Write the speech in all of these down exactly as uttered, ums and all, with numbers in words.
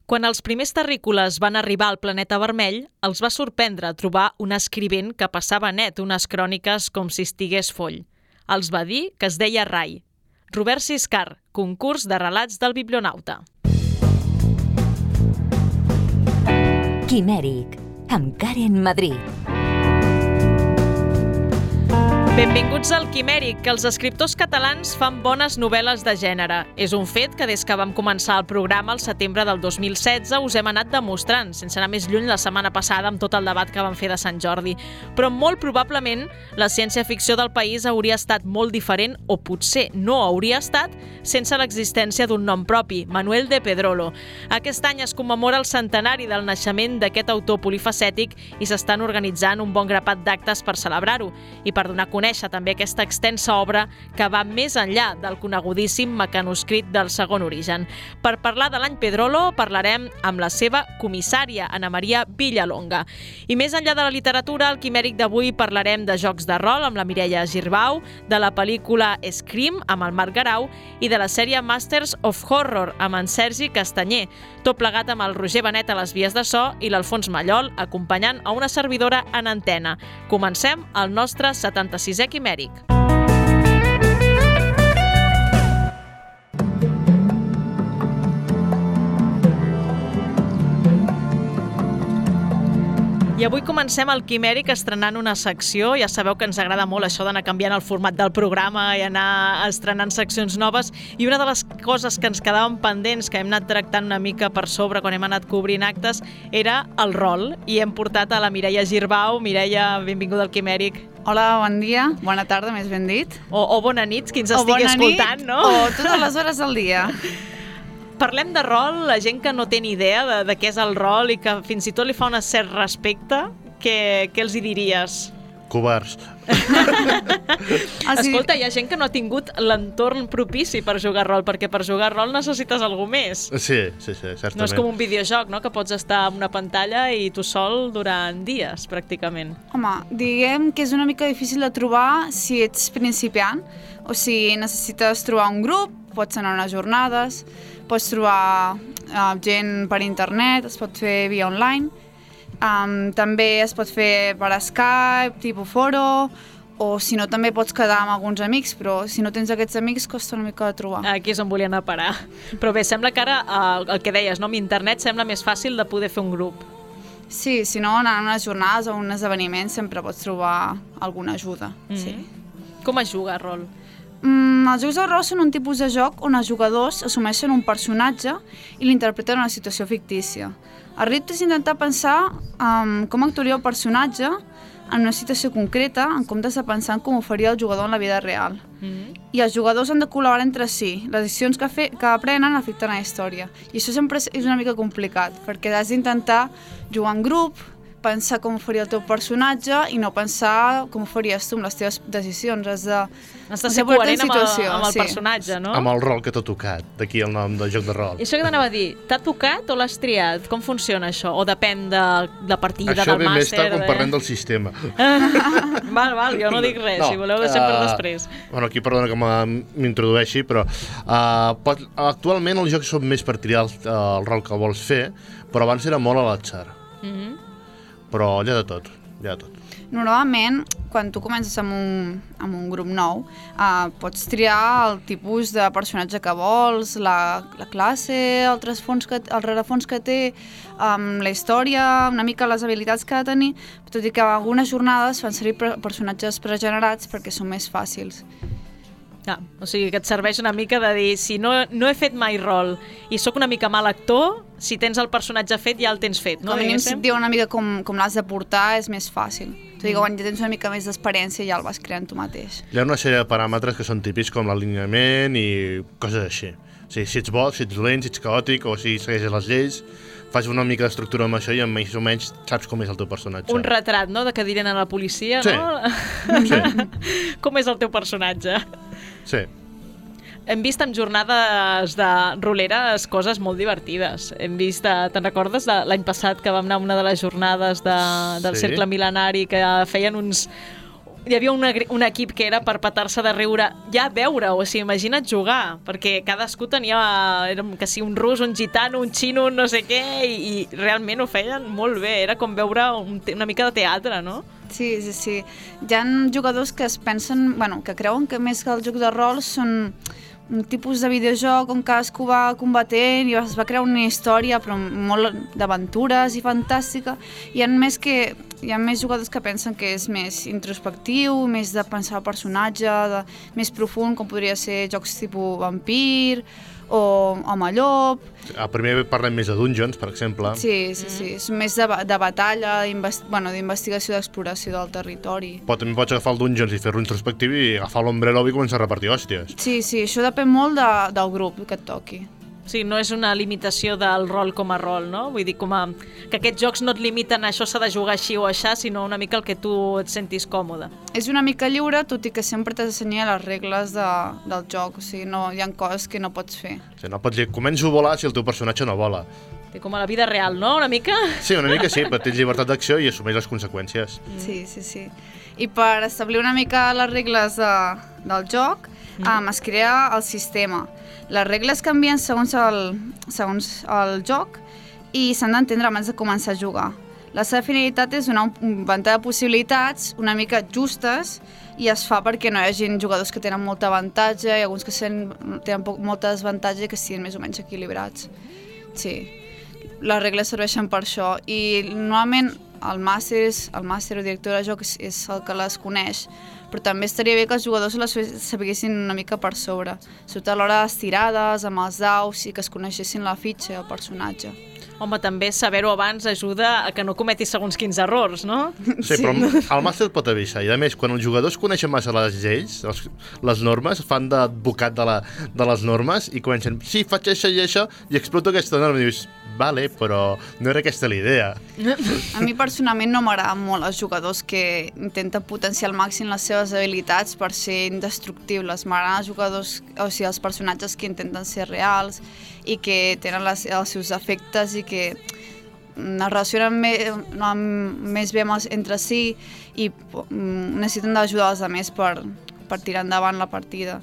Quan els primers terrícoles van arribar al planeta vermell, els va sorprendre trobar un escrivent que passava net unes cròniques com si estigués foll. Els va dir que es deia Rai. Robert Siscar, concurs de relats del Biblionauta. Quimèric, amb Karen Madrid. Benvinguts al Quimèric, que els escriptors catalans fan bones novel·les de gènere. És un fet que des que vam començar el programa al setembre del dos mil setze us hem anat demostrant, sense anar més lluny la setmana passada amb tot el debat que vam fer de Sant Jordi. Però molt probablement la ciència-ficció del país hauria estat molt diferent, o potser no hauria estat, sense l'existència d'un nom propi, Manuel de Pedrolo. Aquest any es commemora el centenari del naixement d'aquest autor polifacètic i s'estan organitzant un bon grapat d'actes per celebrar-ho i per donar a conèixer també aquesta extensa obra que va més enllà del conegudíssim mecanoscrit del segon origen. Per parlar de l'any Pedrolo parlarem amb la seva comissària, Ana Maria Villalonga. I més enllà de la literatura, al Quimèric d'avui parlarem de jocs de rol amb la Mireia Girbau, de la pel·lícula Scream amb el Marc Garau i de la sèrie Masters of Horror amb en Sergi Castanyer, tot plegat amb el Roger Benet a les vies de so i l'Alfons Mallol acompanyant a una servidora en antena. Comencem el nostre setanta-sisè Quimèric. I avui comencem el Quimèric estrenant una secció. Ja sabeu que ens agrada molt això d'anar canviant el format del programa i anar estrenant seccions noves. I una de les coses que ens quedaven pendents, que hem anat tractant una mica per sobre quan hem anat cobrint actes, era el rol. I hem portat a la Mireia Girbau. Mireia, benvinguda al Quimèric. Hola, bon dia, bona tarda, més ben dit. O, o bona nit, qui ens estigui escoltant, no? O totes les hores del dia. Parlem de rol, la gent que no té ni idea de, de què és el rol i que fins i tot li fa un cert respecte, què, què els hi diries? Covards. Escolta, hi ha gent que no ha tingut l'entorn propici per jugar a rol, perquè per jugar a rol necessites algú més. Sí, sí, sí, certament. No és com un videojoc, no?, que pots estar en una pantalla i tu sol durant dies, pràcticament. Home, diguem que és una mica difícil de trobar si ets principiant, o si necessites trobar un grup, pots anar a unes jornades, pots trobar uh, gent per internet, es pot fer via online, um, també es pot fer per Skype, tipus foro, o si no també pots quedar amb alguns amics, però si no tens aquests amics costa una mica de trobar. Aquí és on volia anar a parar. Però bé, sembla que ara, uh, el que deies, no? Amb internet sembla més fàcil de poder fer un grup. Sí, si no, anant a unes jornades o un esdeveniment sempre pots trobar alguna ajuda. Mm-hmm. Sí. Com es juga a rol? Mm, els jocs de rol són un tipus de joc on els jugadors assumeixen un personatge i l'interpreten en una situació fictícia. El repte és intentar pensar um, com actuaria el personatge en una situació concreta en comptes de pensar en com ho faria el jugador en la vida real. Mm-hmm. I els jugadors han de col·laborar entre si. Les decisions que, fe que aprenen afecten a la història. I això sempre és una mica complicat, perquè has d'intentar jugar en grup, pensar com faria el teu personatge i no pensar com faries tu amb les teves decisions. Has de, has de ser coherent amb el, amb el sí. personatge, no? Amb el rol que t'ha tocat, d'aquí el nom del joc de rol. I això que t'anava a dir, t'ha tocat o l'has triat? Com funciona això? O depèn de la partida, això del màster? Això ve més tard quan parlem del sistema. Val, val, jo no dic res, no, si voleu deixem uh, per després. Bueno, aquí perdona que m'introdueixi, però uh, pot, actualment els jocs són més per triar el, el rol que vols fer, però abans era molt a l'atzar. Mhm. Però hi ha de tot, hi ha de tot. Normalment, quan tu comences amb un, amb un grup nou, uh, pots triar el tipus de personatge que vols, la, la classe, el, que, el rerefons que té, um, la història, una mica les habilitats que ha de tenir, tot i que algunes jornades fan servir personatges pregenerats perquè són més fàcils. Ah, o sigui que et serveix una mica de dir, si no, no he fet mai rol i sóc una mica mal actor, si tens el personatge fet ja el tens fet, no? Com a mínim si et diu una mica com, com l'has de portar és més fàcil. O sigui que quan ja tens una mica més d'experiència ja el vas creant tu mateix. Hi ha una sèrie de paràmetres que són típics com l'alineament i coses així. O sigui, si ets bo, si ets dolent, si ets caòtic o si segueixes les lleis, fas una mica d'estructura amb això i més o menys saps com és el teu personatge. Un retrat, no?, de que diren a la policia, sí. No? Sí. Com és el teu personatge? Sí. Hem vist en jornades de roleres coses molt divertides. Hem vist, te'n recordes de l'any passat que vam anar a una de les jornades de, del sí. Cercle Mil·lenari que feien uns... hi havia una, un equip que era per petar-se de riure ja a veure, o sigui, imagina't jugar, perquè cadascú tenia, era, que si un rus, un gitano, un xino, un no sé què, i, i realment ho feien molt bé, era com veure un, una mica de teatre, no? Sí, sí, sí. Hi ha jugadors que es pensen, bueno, que creuen que més que el joc de rol són un tipus de videojoc on cadascú va combatent i es va crear una història però molt d'aventures i fantàstica. Hi ha més que hi ha més jugadors que pensen que és més introspectiu, més de pensar el personatge, de, més profund, com podria ser jocs tipus Vampir o Home Llop. El primer parlem més de Dungeons, per exemple. Sí, sí, sí. És més de, de batalla, bueno, d'investigació, d'exploració del territori. Però també pots agafar el Dungeons i fer-lo introspectiu i agafar l'Ombre Lobo i començar a repartir hòsties. Sí, sí, això depèn molt de, del grup que et toqui. Sí, no és una limitació del rol com a rol, no? Vull dir, com a, que aquests jocs no et limiten a això s'ha de jugar així o aixà, sinó una mica el que tu et sentis còmode. És una mica lliure, tot i que sempre t'has d'ensenyar les regles de, del joc, o sigui, no, hi ha coses que no pots fer. O sigui, no pots dir, començo a volar si el teu personatge no vola. Sí, com a la vida real, no? Una mica? Sí, una mica sí, però tens llibertat d'acció i assumeix les conseqüències. Sí, sí, sí. I per establir una mica les regles de, del joc, mm. um, es crea el sistema. Les regles canvien segons el, segons el joc i s'han d'entendre abans de començar a jugar. La seva finalitat és donar un ventall de possibilitats una mica justes i es fa perquè no hi hagi jugadors que tenen molta avantatge i alguns que tenen molta desavantatge i que siguin més o menys equilibrats. Sí, les regles serveixen per això i normalment el màster, el màster o director de joc és el que les coneix, però també estaria bé que els jugadors les sabessin una mica per sobre, sobretot a l'hora de les tirades, amb els daus i que es coneixessin la fitxa i el personatge. Home, també saber-ho abans ajuda a que no cometis segons quins errors, no? Sí, sí, però el màster pot avisar. I a més, quan els jugadors coneixen massa les lleis, les, les normes, fan d'advocat de, la, de les normes i comencen, sí, faig això i això, i exploto aquesta norma. I dius, vale, però no era aquesta la idea. A mi personalment no m'agraden molt els jugadors que intenten potenciar al màxim les seves habilitats per ser indestructibles. M'agraden els jugadors, o sigui, els personatges que intenten ser reals i que tenen les, els seus efectes i que es relacionen més, no, més bé entre si i necessiten d'ajudar els altres per, per tirar endavant la partida,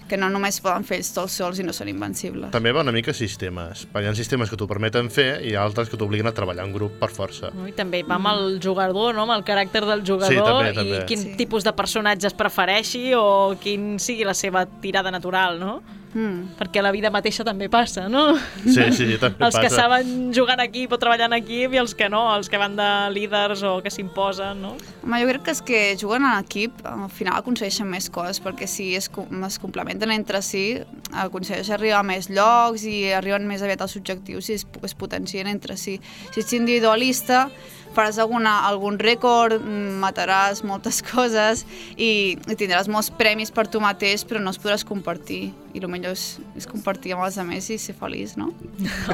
que no només poden fer ells tots sols i no són invencibles. També va una mica sistemes. Hi ha sistemes que t'ho permeten fer i altres que t'obliguen a treballar en grup per força. I també va amb el jugador, no? Amb el caràcter del jugador, sí, també, i també. quin sí. tipus de personatges prefereixi o quin sigui la seva tirada natural, no? Mm. Perquè a la vida mateixa també passa, no? Sí, sí, també els passa. Que saben jugar en equip o treballar en equip i els que no, els que van de líders o que s'imposen, no? Home, jo crec que els que juguen en equip al final aconsegueixen més coses, perquè si es, es complementen entre si, aconsegueixen arribar a més llocs i arriben més aviat als objectius i es, es potencien entre si. Si ets individualista, faràs alguna, algun rècord, mataràs moltes coses i, i tindràs molts premis per tu mateix, però no els podràs compartir. I el millor és, és compartir amb els altres i ser feliç, no?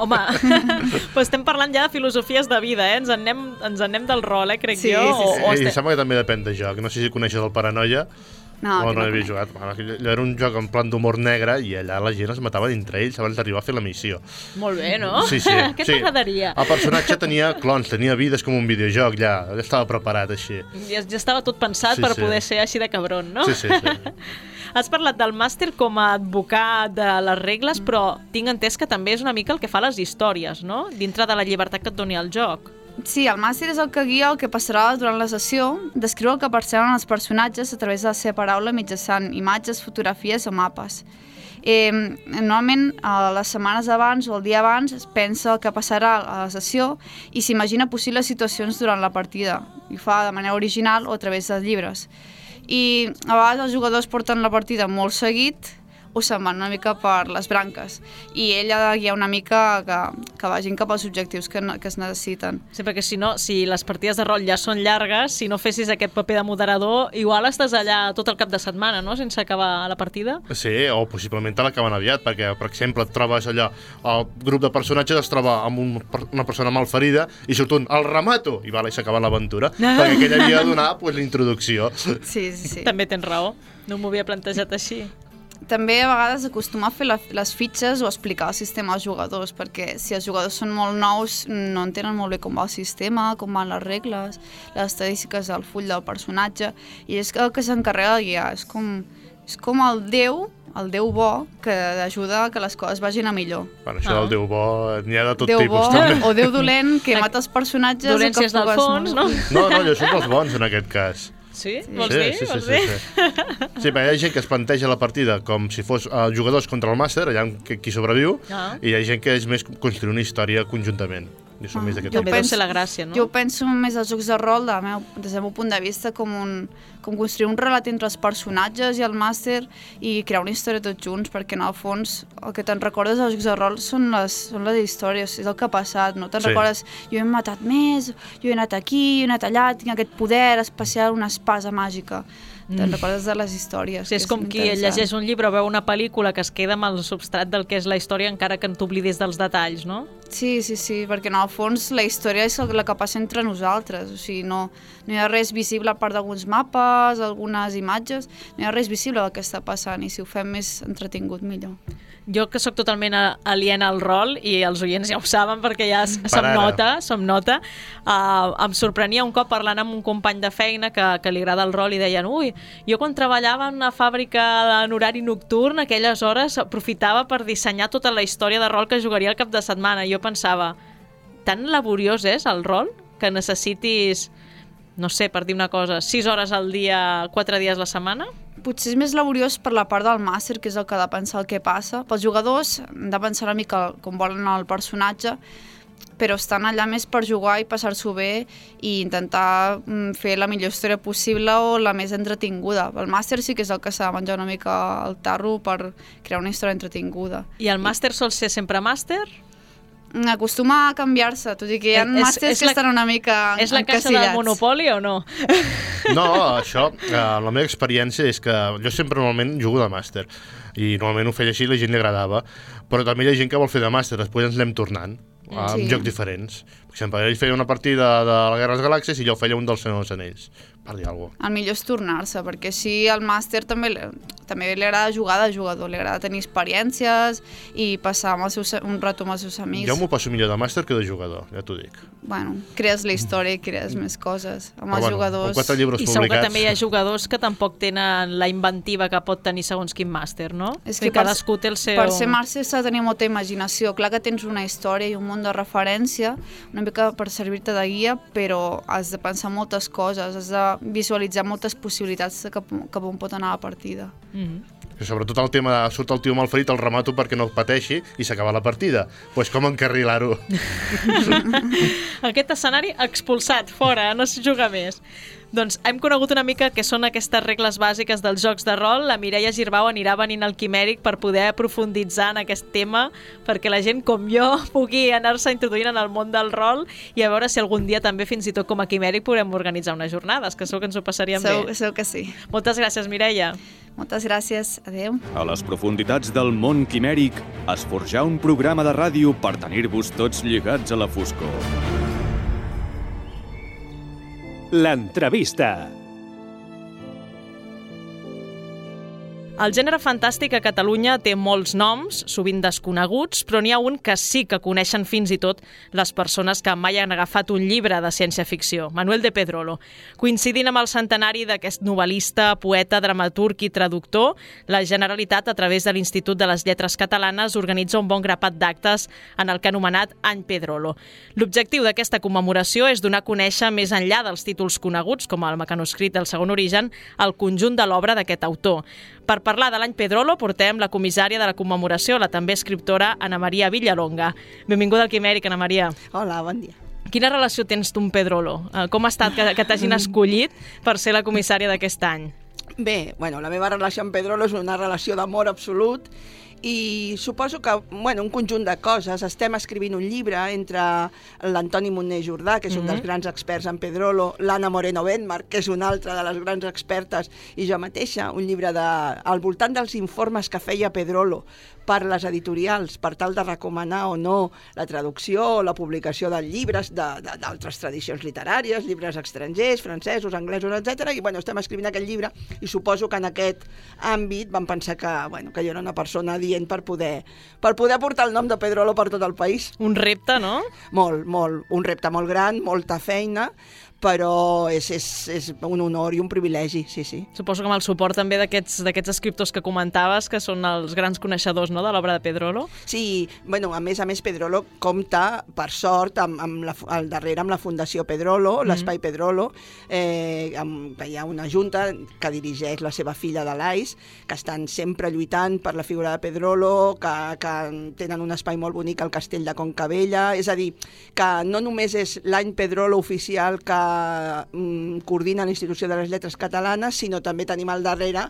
Home, però estem parlant ja de filosofies de vida, eh? Ens en anem, ens en anem del rol, eh, crec sí, jo. Sí, sí. O, o I estem... sembla que també depèn de joc. No sé si coneixes el Paranoia. No, o no, no havia jugat. Allò era un joc en plan d'humor negre i allà la gent es matava entre ells abans d'arribar a fer la missió. Molt bé, no? Sí, sí. Què sí. t'agradaria? El personatge tenia clons, tenia vides com un videojoc, ja, ja estava preparat així. Ja, ja estava tot pensat Sí, per sí. poder ser així de cabron, no? Sí, sí, sí. Has parlat del màster com a advocat de les regles, però tinc entès que també és una mica el que fa les històries, no? Dintre de la llibertat que et doni el joc. Sí, el màster és el que guia el que passarà durant la sessió, descriu el que perceben els personatges a través de la seva paraula mitjançant imatges, fotografies o mapes. Eh, normalment, a les setmanes abans o el dia abans es pensa el que passarà a la sessió i s'imagina possibles situacions durant la partida. I ho fa de manera original o a través dels llibres. I a vegades els jugadors porten la partida molt seguit o se'n van una mica per les branques. I ell ha de guiar una mica que, que vagin cap als objectius que, que es necessiten. Sí, perquè si no, si les partides de rol ja són llargues, si no fessis aquest paper de moderador, igual estàs allà tot el cap de setmana, no?, sense acabar la partida. Sí, o possiblement te l'acaben aviat, perquè, per exemple, et trobes allò, el grup de personatges es troba amb un, una persona malferida i surt un, el remato, i vale, s'acaba l'aventura, perquè aquell havia de donar pues, la introducció. Sí, sí, sí. També tens raó, no m'ho havia plantejat així. també a vegades acostumar a fer la, les fitxes o explicar el sistema als jugadors, perquè si els jugadors són molt nous no entenen molt bé com va el sistema, com van les regles, les estadístiques del full del personatge, i és el que s'encarrega de guiar, és com, és com el déu, el déu bo, que ajuda a que les coses vagin a millor. Bueno, això ah. del déu bo n'hi ha de tot déu tipus. Déu bo també. o déu dolent, que mata els personatges... Dolències del fons, no? No, no, jo soc dels bons en aquest cas. Sí? Sí. Vols sí, dir? sí, Vols sí, dir? sí, sí. Sí, perquè hi ha gent que es planteja la partida com si fos uh, jugadors contra el màster, allà qui sobreviu, ah. i hi ha gent que és més construir una història conjuntament. Jo soc ah. més d'aquest També deu ser la gràcia, no? Jo penso més als jocs de rol, de meu, des del meu punt de vista, com, un, com construir un relat entre els personatges i el màster i crear una història tots junts, perquè en el fons el que te'n recordes dels jocs de rol són les, són les històries, és el que ha passat, no te'n sí. recordes, jo he matat més, jo he anat aquí, jo he anat allà, tinc aquest poder especial, una espasa màgica. Te'n mm. recordes de les històries. Sí, és com qui llegeix un llibre o veu una pel·lícula que es queda amb el substrat del que és la història encara que en t'oblides dels detalls, no? Sí, sí, sí, perquè en el fons la història és la que passa entre nosaltres, o sigui, no, no hi ha res visible a part d'alguns mapes, algunes imatges, no hi ha res visible del que està passant, i si ho fem més entretingut, millor. Jo que sóc totalment aliena al rol, i els oients ja ho saben perquè ja se'm nota, se'm nota, uh, em sorprenia un cop parlant amb un company de feina que, que li agrada el rol i deien, ui, jo quan treballava en una fàbrica en horari nocturn, aquelles hores aprofitava per dissenyar tota la història de rol que jugaria el cap de setmana. Jo pensava, tan laboriós és el rol que necessitis, no sé, per dir una cosa, sis hores al dia, quatre dies la setmana? Potser és més laboriós per la part del màster, que és el que ha de pensar el que passa. Pels jugadors han de pensar una mica com volen el personatge, però estan allà més per jugar i passar-s'ho bé i intentar fer la millor història possible o la més entretinguda. El màster sí que és el que s'ha de menjar una mica el tarro per crear una història entretinguda. I el màster sol ser sempre màster? Acostuma a canviar-se, tot i que hi ha màsters que la, estan una mica encasillats. És la caixa del Monopoli o no? No, això, eh, la meva experiència és que jo sempre normalment jugo de màster i normalment ho feia així i la gent li agradava, però també hi ha gent que vol fer de màster, després ens l'anem tornant a sí. jocs diferents. Per exemple, ell feia una partida de la Guerra de les Galàxies i jo feia un dels Senyor dels Anells, per dir alguna cosa. El millor és tornar-se, perquè així el màster també, també li agrada jugar de jugador, li agrada tenir experiències i passar amb els seus, un rato amb els seus amics. Jo m'ho passo millor de màster que de jugador, ja t'ho dic. Bueno, crees la història i crees més coses amb els bueno, jugadors. Amb quatre llibres I publicats. segur que també hi ha jugadors que tampoc tenen la inventiva que pot tenir segons quin màster, no? És que cadascú té el seu... Per ser màster s'ha de tenir molta imaginació. Clar que tens una història i un munt de referència, una mica per servir-te de guia, però has de pensar moltes coses, has de visualitzar moltes possibilitats de cap, cap on pot anar la partida. Mm-hmm. Sobretot el tema de surt el tio mal ferit, el remato perquè no pateixi i s'acaba la partida. Doncs pues com encarrilar-ho? Aquest escenari expulsat, fora, no s'hi juga més. Doncs hem conegut una mica què són aquestes regles bàsiques dels jocs de rol. La Mireia Girbau anirà venint al Quimèric per poder profunditzar en aquest tema, perquè la gent com jo pugui anar-se introduint en el món del rol i a veure si algun dia també, fins i tot com a Quimèric, podrem organitzar unes jornades, que segur que ens ho passaríem segur, bé. Segur que sí. Moltes gràcies, Mireia. Moltes gràcies. Adéu. A les profunditats del món quimèric es forjà un programa de ràdio per tenir-vos tots lligats a la foscor. L'entrevista. El gènere fantàstic a Catalunya té molts noms, sovint desconeguts, però n'hi ha un que sí que coneixen fins i tot les persones que mai han agafat un llibre de ciència-ficció, Manuel de Pedrolo. Coincidint amb el centenari d'aquest novel·lista, poeta, dramaturg i traductor, la Generalitat, a través de l'Institut de les Lletres Catalanes, organitza un bon grapat d'actes en el que ha anomenat Any Pedrolo. L'objectiu d'aquesta commemoració és donar a conèixer, més enllà dels títols coneguts, com el mecanoscrit del Segon Origen, el conjunt de l'obra d'aquest autor. Per parlar de l'Any Pedrolo portem la comissària de la commemoració, la també escriptora Ana Maria Villalonga. Benvinguda al Quimèric, Ana Maria. Hola, bon dia. Quina relació tens tu amb Pedrolo? Com ha estat que, que t'hagin escollit per ser la comissària d'aquest any? Bé, bueno, la meva relació amb Pedrolo és una relació d'amor absolut i suposo que, bueno, un conjunt de coses. Estem escrivint un llibre entre l'Antoni Montner Jordà, que és un mm-hmm. dels grans experts en Pedrolo, l'Anna Moreno Benmark, que és una altra de les grans expertes, i jo mateixa, un llibre de, al voltant dels informes que feia Pedrolo per les editorials, per tal de recomanar o no la traducció o la publicació de llibres d'altres tradicions literàries, llibres estrangers, francesos, anglesos, etcètera. I bueno, estem escrivint aquest llibre i suposo que en aquest àmbit vam pensar que, bueno, que jo era una persona dient per poder, per poder portar el nom de Pedrolo per tot el país. Un repte, no? Molt, molt. Un repte molt gran, molta feina, però és, és, és un honor i un privilegi, sí, sí. Suposo que amb el suport també d'aquests d'aquests escriptors que comentaves, que són els grans coneixedors, no?, de l'obra de Pedrolo. Sí, bueno, a més a més Pedrolo compta, per sort, amb, amb la, al darrere amb la Fundació Pedrolo, mm-hmm. l'Espai Pedrolo, eh, amb, que hi ha una junta que dirigeix la seva filla de l'Ais, que estan sempre lluitant per la figura de Pedrolo, que, que tenen un espai molt bonic al Castell de Concabella, és a dir, que no només és l'any Pedrolo oficial que coordina l'Institució de les Lletres Catalanes, sinó també tenim al darrere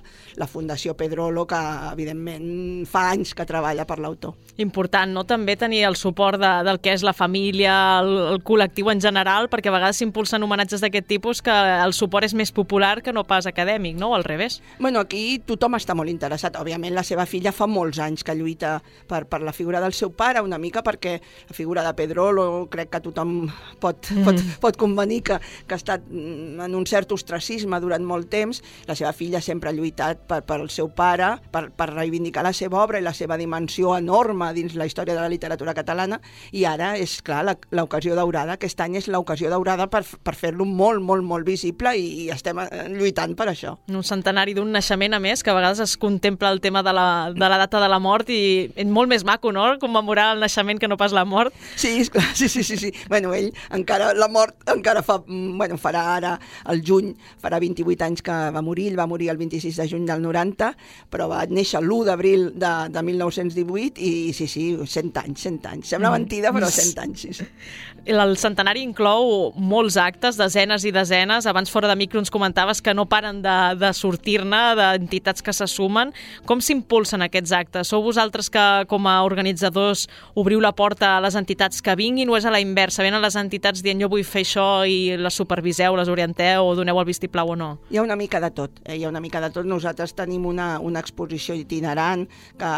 la Fundació Pedrolo, que evidentment fa anys que treballa per l'autor. Important, no?, també tenir el suport de, del que és la família, el, el col·lectiu en general, perquè a vegades s'impulsen homenatges d'aquest tipus que el suport és més popular que no pas acadèmic, no?, o al revés. Bueno, aquí tothom està molt interessat. Òbviament la seva filla fa molts anys que lluita per, per la figura del seu pare, una mica perquè la figura de Pedrolo crec que tothom pot, mm. pot, pot convenir que que ha estat en un cert ostracisme durant molt temps. La seva filla sempre ha lluitat per, per el seu pare, per, per reivindicar la seva obra i la seva dimensió enorme dins la història de la literatura catalana, i ara és, clar, l'ocasió daurada. Aquest any és l'ocasió daurada per, per fer-lo molt, molt, molt visible, i, i estem lluitant per això. Un centenari d'un naixement, a més, que a vegades es contempla el tema de la, de la data de la mort, i és molt més maco, no?, commemorar el naixement que no pas la mort. Sí, esclar, sí, sí, sí, sí. Bueno, ell encara, la mort encara fa... Bueno, farà ara, el juny, farà vint-i-vuit anys que va morir. Ell va morir el vint-i-sis de juny del noranta, però va néixer l'u d'abril de, de mil nou-cents divuit, i sí, sí, cent anys, cent anys. Sembla mentida, però cent anys, sí, sí. El centenari inclou molts actes, desenes i desenes. Abans, fora de micro, ens comentaves que no paren de, de sortir-ne, d'entitats que se sumen. Com s'impulsen aquests actes? Sou vosaltres que, com a organitzadors, obriu la porta a les entitats que vinguin, o és a la inversa? Venen les entitats dient jo vull fer això i les superviseu, les orienteu o doneu el vistiplau o no? Hi ha una mica de tot, eh? hi ha una mica de tot. Nosaltres tenim una, una exposició itinerant que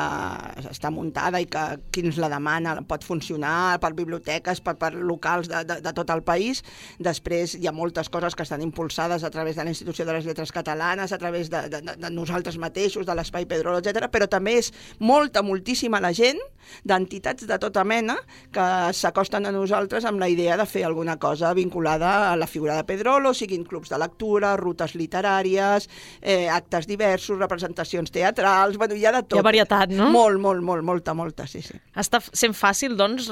està muntada i que qui ens la demana pot funcionar per biblioteques, per, per locals de, de, de tot el país. Després hi ha moltes coses que estan impulsades a través de la Institució de les Lletres Catalanes, a través de, de, de nosaltres mateixos, de l'Espai Pedrolo, etcètera. Però també és molta, moltíssima la gent d'entitats de tota mena que s'acosten a nosaltres amb la idea de fer alguna cosa vinculada a la figura de Pedrolo, siguin clubs de lectura, rutes literàries, eh, actes diversos, representacions teatrals, bueno, hi ha de tot. Hi ha varietat, no? Molt, molt, molt, molta, molta, sí, sí. Està sent fàcil, doncs,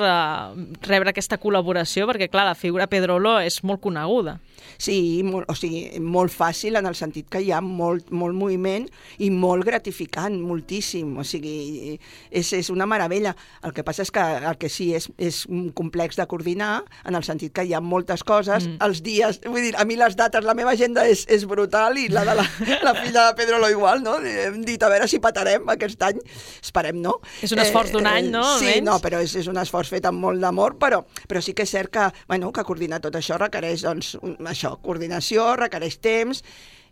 rebre aquesta col·laboració, perquè, clar, la figura Pedrolo és molt coneguda. Sí, molt, o sigui, molt fàcil en el sentit que hi ha molt, molt moviment i molt gratificant, moltíssim. O sigui, és, és una meravella. El que passa és que el que sí és, és un complex de coordinar, en el sentit que hi ha moltes coses, mm. els dies, vull dir, a mi les dates, la meva agenda és, és brutal, i la de la, la filla de Pedrolo igual, no? Hem dit a veure si patarem aquest any, esperem no. És un esforç d'un any, no? Sí, no, però és, és un esforç fet amb molt d'amor, però, però sí que és cert que, bueno, que coordinar tot això requereix, doncs, això, coordinació, requereix temps,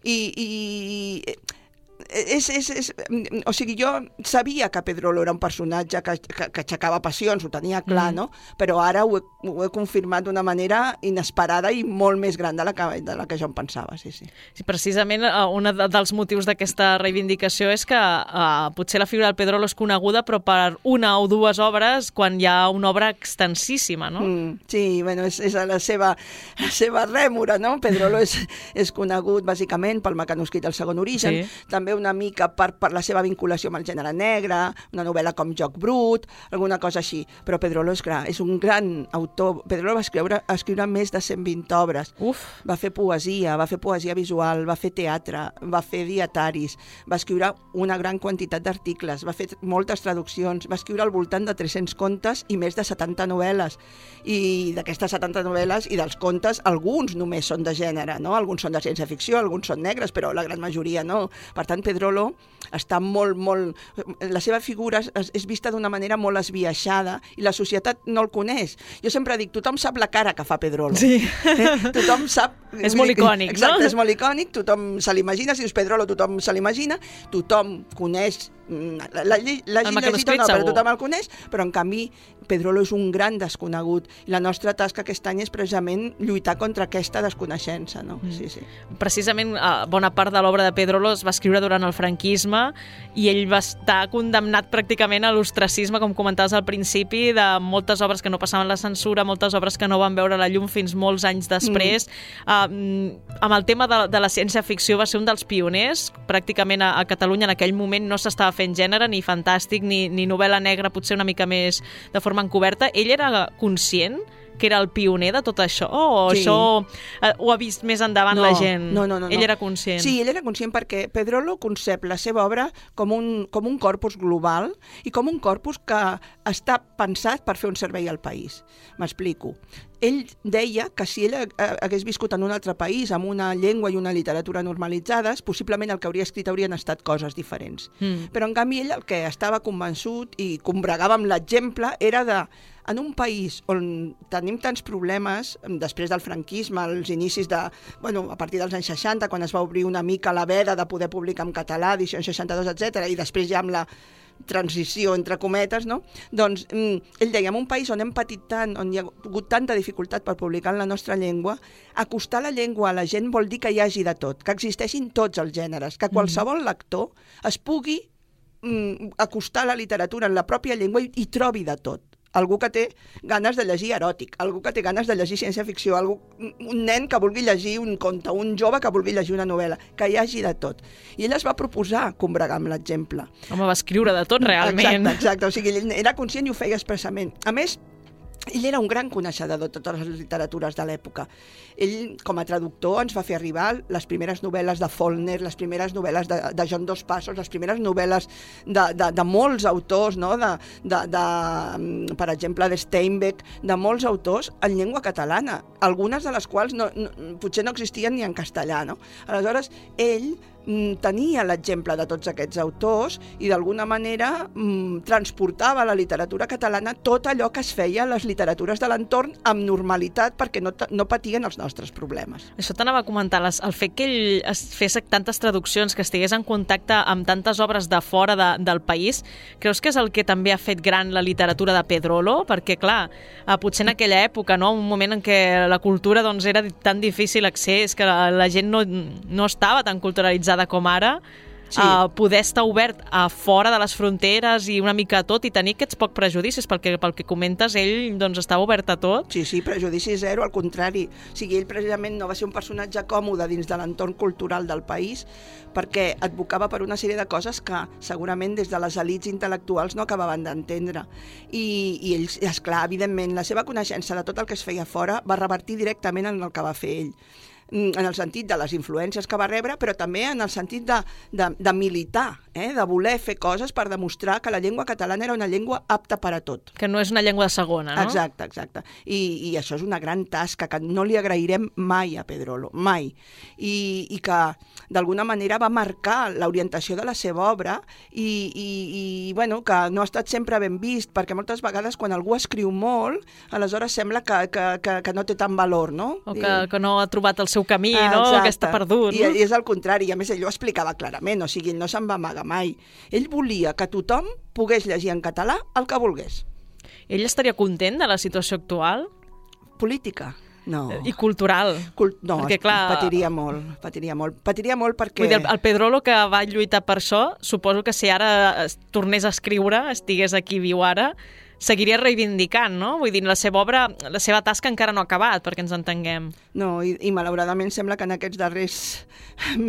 i, i és, és, és, o sigui, jo sabia que Pedrolo era un personatge que, que, que aixecava passions, ho tenia clar, mm. no? Però ara ho he, ho he confirmat d'una manera inesperada i molt més gran de la que, de la que jo em pensava, sí, sí. Sí, precisament un dels motius d'aquesta reivindicació és que uh, potser la figura del Pedrolo és coneguda, però per una o dues obres, quan hi ha una obra extensíssima, no? Mm, sí, bueno, és, és la seva, la seva rèmora, no? Pedrolo és, és conegut bàsicament pel mecanoscrit del segon origen, sí. També una mica per, per la seva vinculació amb el gènere negre, una novel·la com Joc Brut, alguna cosa així. Però Pedrolo és clar, és un gran autor. Pedrolo va escriure, escriure més de cent vint obres. Uf. Va fer poesia, va fer poesia visual, va fer teatre, va fer dietaris, va escriure una gran quantitat d'articles, va fer moltes traduccions, va escriure al voltant de tres-cents contes i més de setanta novel·les. I d'aquestes setanta novel·les i dels contes, alguns només són de gènere, no? Alguns són de ciència-ficció, alguns són negres, però la gran majoria no. Per tant, Pedrolo està molt, molt... La seva figura és, és vista d'una manera molt esbiaixada i la societat no el coneix. Jo sempre dic, tothom sap la cara que fa Pedrolo. Sí. Eh? Tothom sap... És molt icònic, exacte, no? És molt icònic, tothom se l'imagina, si dius Pedrolo tothom se l'imagina, tothom coneix, l'hagi llegit o no, però tothom el coneix, però en canvi Pedrolo és un gran desconegut i la nostra tasca aquest any és precisament lluitar contra aquesta desconeixença, no? Mm. Sí, sí. Precisament bona part de l'obra de Pedrolo es va escriure durant el franquisme i ell va estar condemnat pràcticament a l'ostracisme, com comentaves al principi, de moltes obres que no passaven la censura, moltes obres que no van veure la llum fins molts anys després. Mm. Uh, amb el tema de, de la ciència-ficció va ser un dels pioners. Pràcticament a, a Catalunya en aquell moment no s'estava fent gènere, ni fantàstic, ni, ni novel·la negra, potser una mica més de forma encoberta. Ell era conscient que era el pioner de tot això? O sí. Això eh, ho ha vist més endavant no, la gent? No, no, no. Ell no. era conscient? Sí, ell era conscient perquè Pedrolo concep la seva obra com un, com un corpus global i com un corpus que està pensat per fer un servei al país. M'explico. Ell deia que si ell hagués viscut en un altre país amb una llengua i una literatura normalitzades, possiblement el que hauria escrit haurien estat coses diferents. Mm. Però en canvi ell el que estava convençut i combregava amb l'exemple era de en un país on tenim tants problemes, després del franquisme, als inicis de, bueno, a partir dels anys seixanta, quan es va obrir una mica la veda de poder publicar en català, edició seixanta-dos, etcètera, i després ja amb la transició, entre cometes, no? Doncs ell deia, en un país on hem patit tant, on hi ha hagut tanta dificultat per publicar en la nostra llengua, acostar la llengua a la gent vol dir que hi hagi de tot, que existeixin tots els gèneres, que qualsevol lector es pugui mm, acostar la literatura en la pròpia llengua i, i trobi de tot. Algú que té ganes de llegir eròtic, algú que té ganes de llegir ciència-ficció, algú, un nen que vulgui llegir un conte, un jove que vulgui llegir una novel·la, que hi hagi de tot. I ell es va proposar combregar amb l'exemple. Home, va escriure de tot, realment. Exacte, exacte. O sigui, ell era conscient i ho feia expressament. A més, ell era un gran coneixedor de totes les literatures de l'època. Ell, com a traductor, ens va fer arribar les primeres novel·les de Faulkner, les primeres novel·les de, de John Dos Passos, les primeres novel·les de, de, de molts autors, no? de, de, de, per exemple, de Steinbeck, de molts autors en llengua catalana, algunes de les quals no, no, potser no existien ni en castellà. No? Aleshores, ell tenia l'exemple de tots aquests autors i d'alguna manera mm, transportava a la literatura catalana tot allò que es feia a les literatures de l'entorn amb normalitat perquè no, no patien els nostres problemes. Això t'anava a comentar, les, el fet que ell es fes tantes traduccions, que estigués en contacte amb tantes obres de fora de, del país, creus que és el que també ha fet gran la literatura de Pedrolo? Perquè, clar, eh, potser en aquella època, no? Un moment en què la cultura doncs, era tan difícil accés, que la, la gent no, no estava tan culturalitzada com ara, sí. uh, poder estar obert a fora de les fronteres i una mica a tot i tenir aquests poc prejudicis, perquè pel que comentes ell doncs estava obert a tot. Sí, sí, prejudici zero, al contrari. O sigui, ell precisament no va ser un personatge còmode dins de l'entorn cultural del país perquè advocava per una sèrie de coses que segurament des de les elits intel·lectuals no acabaven d'entendre. I, i ell, esclar, evidentment, la seva coneixença de tot el que es feia fora va revertir directament en el que va fer ell, en el sentit de les influències que va rebre, però també en el sentit de, de, de militar, eh? de voler fer coses per demostrar que la llengua catalana era una llengua apta per a tot. Que no és una llengua de segona, no? Exacte, exacte. I, i això és una gran tasca que no li agrairem mai a Pedrolo, mai. I, i que d'alguna manera va marcar l'orientació de la seva obra i, i, i bueno, que no ha estat sempre ben vist, perquè moltes vegades quan algú escriu molt, aleshores sembla que, que, que, que no té tant valor, no? O que, que no ha trobat el seu camí, ah, no? Que està perdut. I, I és el contrari, i a més ell ho explicava clarament, o sigui, no se'n va amagar mai. Ell volia que tothom pogués llegir en català el que volgués. Ell estaria content de la situació actual? Política? No. I cultural? Cul no, perquè, clar... patiria molt, patiria molt. Patiria molt perquè... Vull dir, el Pedrolo que va lluitar per això, suposo que si ara es tornés a escriure, estigués aquí viu ara, seguiria reivindicant, no? Vull dir, la seva obra, la seva tasca encara no ha acabat, perquè ens entenguem. No, i, i malauradament sembla que en aquests darrers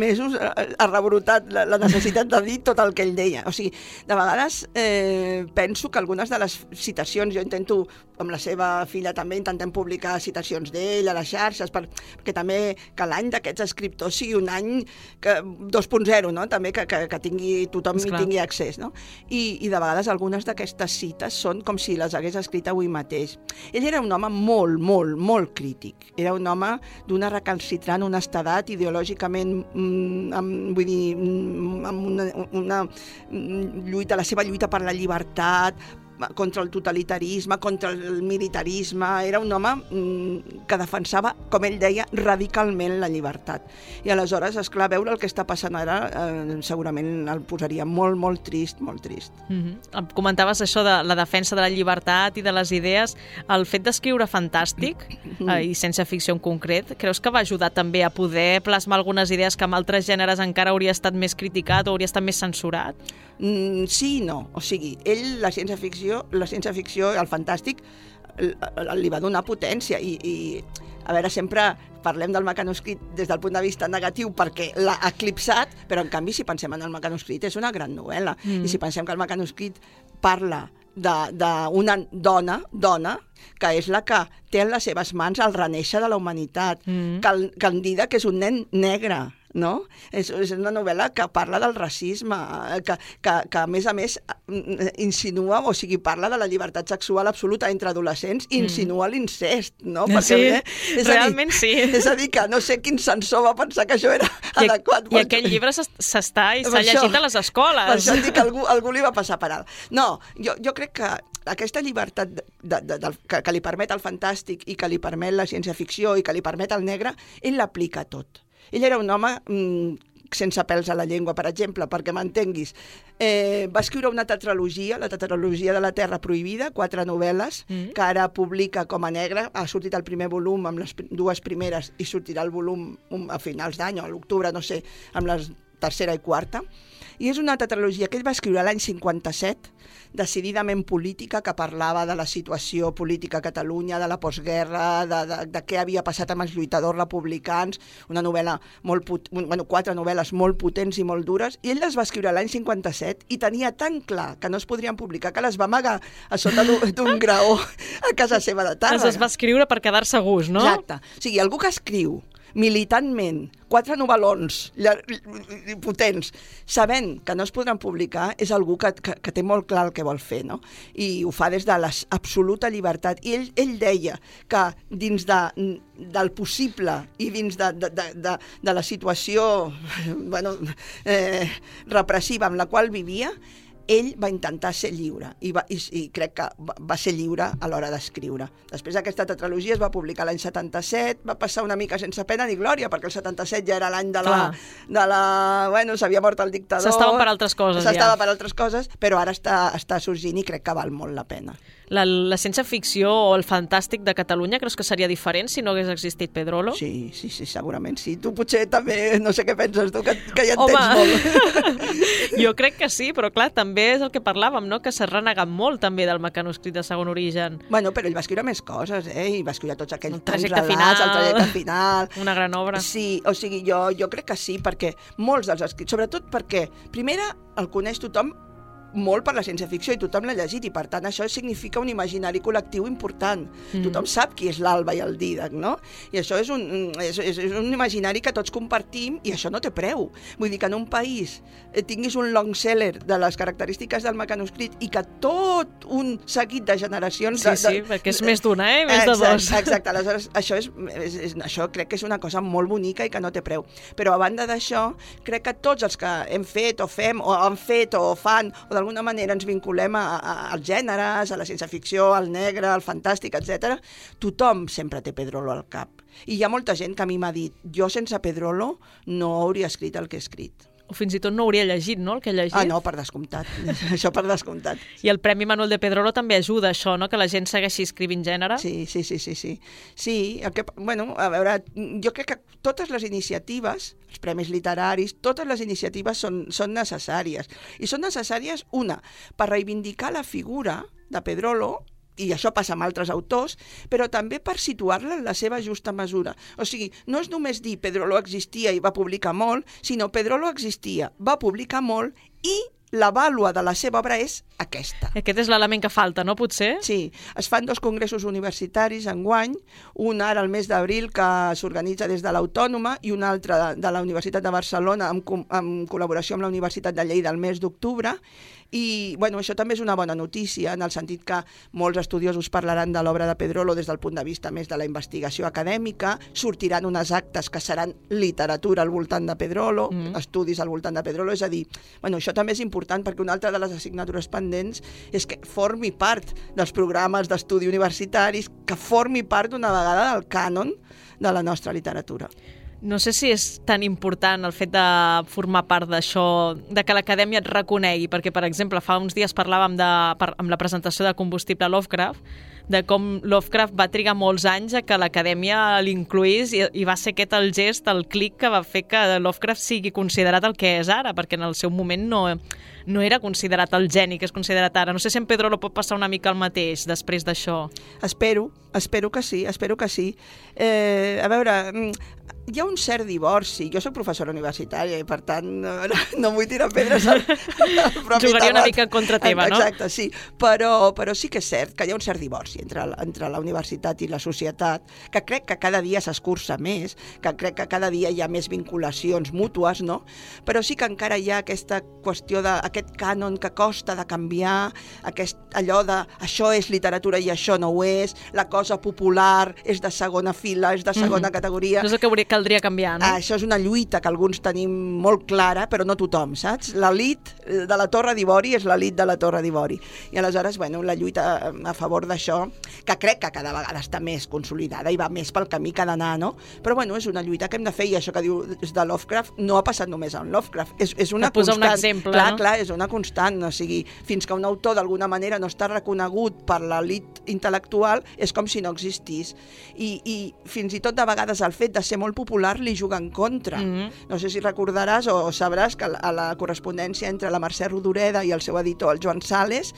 mesos ha rebrotat la, la necessitat de dir tot el que ell deia. O sigui, de vegades eh, penso que algunes de les citacions, jo intento, amb la seva filla també, intentem publicar citacions d'ell a les xarxes, per, perquè també que l'any d'aquests escriptors sigui un any que, dos punt zero, no? També que, que, que tingui, tothom hi tingui accés, no? I, i de vegades algunes d'aquestes cites són com si les hagués escrit avui mateix. Ell era un home molt, molt, molt crític. Era un home d'una recalcitrant honestedat, ideològicament, mm, amb, vull dir, mm, amb una, una lluita, la seva lluita per la llibertat, contra el totalitarisme, contra el militarisme. Era un home mm, que defensava, com ell deia, radicalment la llibertat. I aleshores, esclar, veure el que està passant ara eh, segurament el posaria molt, molt trist, molt trist. Mm-hmm. Comentaves això de la defensa de la llibertat i de les idees. El fet d'escriure fantàstic eh, i sense ficció en concret, creus que va ajudar també a poder plasmar algunes idees que amb altres gèneres encara hauria estat més criticat o hauria estat més censurat? Mm, sí i no. O sigui, ell, la ciència-ficció la ciència-ficció, el fantàstic, li va donar potència i, i a veure, sempre parlem del mecanoscrit des del punt de vista negatiu perquè l'ha eclipsat, però en canvi si pensem en el mecanoscrit és una gran novel·la mm. i si pensem que el mecanoscrit parla d'una dona, dona, que és la que té en les seves mans el renéixer de la humanitat, mm. Candida, que és un nen negre, no? És, és una novel·la que parla del racisme, que, que, que a més a més insinua, o sigui, parla de la llibertat sexual absoluta entre adolescents i insinua mm. l'incest, no? Perquè, sí, bé, és realment dir, sí. És a dir, que no sé quin censor va pensar que això era I, adequat. I aquest llibre s'està i s'ha llegit a les escoles. Per això dic que algú, algú li va passar per alt. No, jo, jo crec que aquesta llibertat de, de, de, de, que, que li permet el fantàstic i que li permet la ciència-ficció i que li permet el negre, ell l'aplica tot. Ell era un home mm, sense pèls a la llengua, per exemple, perquè m'entenguis. Eh, va escriure una tetralogia, la tetralogia de la Terra Prohibida, quatre novel·les, mm. que ara publica com a negre. Ha sortit el primer volum amb les dues primeres i sortirà el volum a finals d'any o a l'octubre, no sé, amb la tercera i quarta. I és una tetralogia que ell va escriure l'any cinquanta-set, decididament política, que parlava de la situació política a Catalunya, de la postguerra, de, de, de què havia passat amb els lluitadors republicans, una novel·la molt pot... bueno, quatre novel·les molt potents i molt dures, i ell les va escriure l'any cinquanta-set i tenia tan clar que no es podrien publicar que les va amagar a sota d'un graó a casa seva de Tàrrega. Les va escriure per quedar-se a gust, no? Exacte. O sigui, algú que escriu militantment, quatre novel·lons potents, sabent que no es podran publicar, és algú que, que, que té molt clar el que vol fer, no? I ho fa des de l'absoluta llibertat. I ell, ell deia que dins de, del possible i dins de, de, de, de, de la situació bueno, eh, repressiva amb la qual vivia, ell va intentar ser lliure i, va, i, i crec que va, va ser lliure a l'hora d'escriure. Després aquesta tetralogia es va publicar l'any setanta-set, va passar una mica sense pena ni glòria, perquè el setanta-set ja era l'any de la... de la bueno, s'havia mort el dictador. S'estava per altres coses, S'estava ja. per altres coses, però ara està, està sorgint i crec que val molt la pena. La, la ciència-ficció o el fantàstic de Catalunya creus que seria diferent si no hagués existit Pedrolo? Sí, sí, sí, segurament sí. Tu potser també, no sé què penses tu, que, que ja Home, entens molt. Jo crec que sí, però clar, també és el que parlàvem, no? Que s'ha renegat molt també del mecanoscrit de segon origen. Bueno, però ell va escriure més coses, eh? I va escriure tots aquells el trajecte relats, final, el trajecte final. Una gran obra. Sí, o sigui, jo, jo crec que sí, perquè molts dels escrits, sobretot perquè, primera, el coneix tothom molt per la ciència-ficció i tothom l'ha llegit i per tant això significa un imaginari col·lectiu important. Mm. Tothom sap qui és l'Alba i el Dídac, no? I això és un, és, és un imaginari que tots compartim i això no té preu. Vull dir que en un país tinguis un long seller de les característiques del mecanoscrit i que tot un seguit de generacions... Sí, de, de, sí, perquè és més d'una, eh? Més exacte, de dos. Exacte, aleshores això, és, és, és, això crec que és una cosa molt bonica i que no té preu. Però a banda d'això, crec que tots els que hem fet o fem o han fet o fan o d'alguna manera ens vinculem a, a, als gèneres, a la ciència-ficció, al negre, al fantàstic, etcètera. Tothom sempre té Pedrolo al cap. I hi ha molta gent que a mi m'ha dit jo sense Pedrolo no hauria escrit el que he escrit. O fins i tot no hauria llegit, no?, el que ha llegit. Ah, no, per descomptat. Això per descomptat. I el Premi Manuel de Pedrolo també ajuda a això, no?, que la gent segueixi escrivint gènere. Sí, sí, sí, sí. Sí, sí el que, bueno, a veure, jo crec que totes les iniciatives, els premis literaris, totes les iniciatives són, són necessàries. I són necessàries, una, per reivindicar la figura de Pedrolo, i això passa amb altres autors, però també per situar-la en la seva justa mesura. O sigui, no és només dir Pedrolo existia i va publicar molt, sinó Pedrolo existia, va publicar molt i la vàlua de la seva obra és aquesta. Aquest és l'element que falta, no, potser? Sí, es fan dos congressos universitaris enguany, un ara al mes d'abril que s'organitza des de l'Autònoma i un altre de la Universitat de Barcelona amb, amb col·laboració amb la Universitat de Lleida al mes d'octubre. I bueno, això també és una bona notícia en el sentit que molts estudiosos parlaran de l'obra de Pedrolo des del punt de vista més de la investigació acadèmica, sortiran unes actes que seran literatura al voltant de Pedrolo, mm. estudis al voltant de Pedrolo, és a dir, bueno, això també és important perquè una altra de les assignatures pendents és que formi part dels programes d'estudi universitaris, que formi part d'una vegada del cànon de la nostra literatura. No sé si és tan important el fet de formar part d'això, de que l'acadèmia et reconegui, perquè, per exemple, fa uns dies parlàvem de, per, amb la presentació de Combustible Lovecraft, de com Lovecraft va trigar molts anys a que l'acadèmia l'incluís i, i va ser aquest el gest, el clic que va fer que Lovecraft sigui considerat el que és ara, perquè en el seu moment no, no era considerat el geni que és considerat ara. No sé si en Pedrolo pot passar una mica el mateix després d'això. Espero, espero que sí, espero que sí. Eh, a veure, hi ha un cert divorci. Jo soc professora universitària i, per tant, no, no vull tirar pedres al, al propi Jugaria una mica en contra teva, no? Exacte, sí. Però, però sí que és cert que hi ha un cert divorci entre, entre la universitat i la societat, que crec que cada dia s'escurça més, que crec que cada dia hi ha més vinculacions mútues, no? Però sí que encara hi ha aquesta qüestió de aquest cànon que costa de canviar, aquest, allò de això és literatura i això no ho és, la cosa popular és de segona fila, és de segona mm. categoria. Això és el que hauria, caldria canviar, no? Ah, això és una lluita que alguns tenim molt clara, però no tothom, saps? L'elit de la Torre d'Ivori és l'elit de la Torre d'Ivori. I aleshores, bueno, la lluita a favor d'això, que crec que cada vegada està més consolidada i va més pel camí que ha d'anar, no? Però, bueno, és una lluita que hem de fer, i això que diu de Lovecraft no ha passat només en Lovecraft. És, és una constant. Un exemple, clar, no? Clar, és una constant. O sigui, fins que un autor d'alguna manera no està reconegut per l'elit intel·lectual, és com si no existís. I, i fins i tot de vegades el fet de ser molt popular li juga en contra. Mm-hmm. No sé si recordaràs o sabràs que a la correspondència entre la Mercè Rodoreda i el seu editor, el Joan Sales,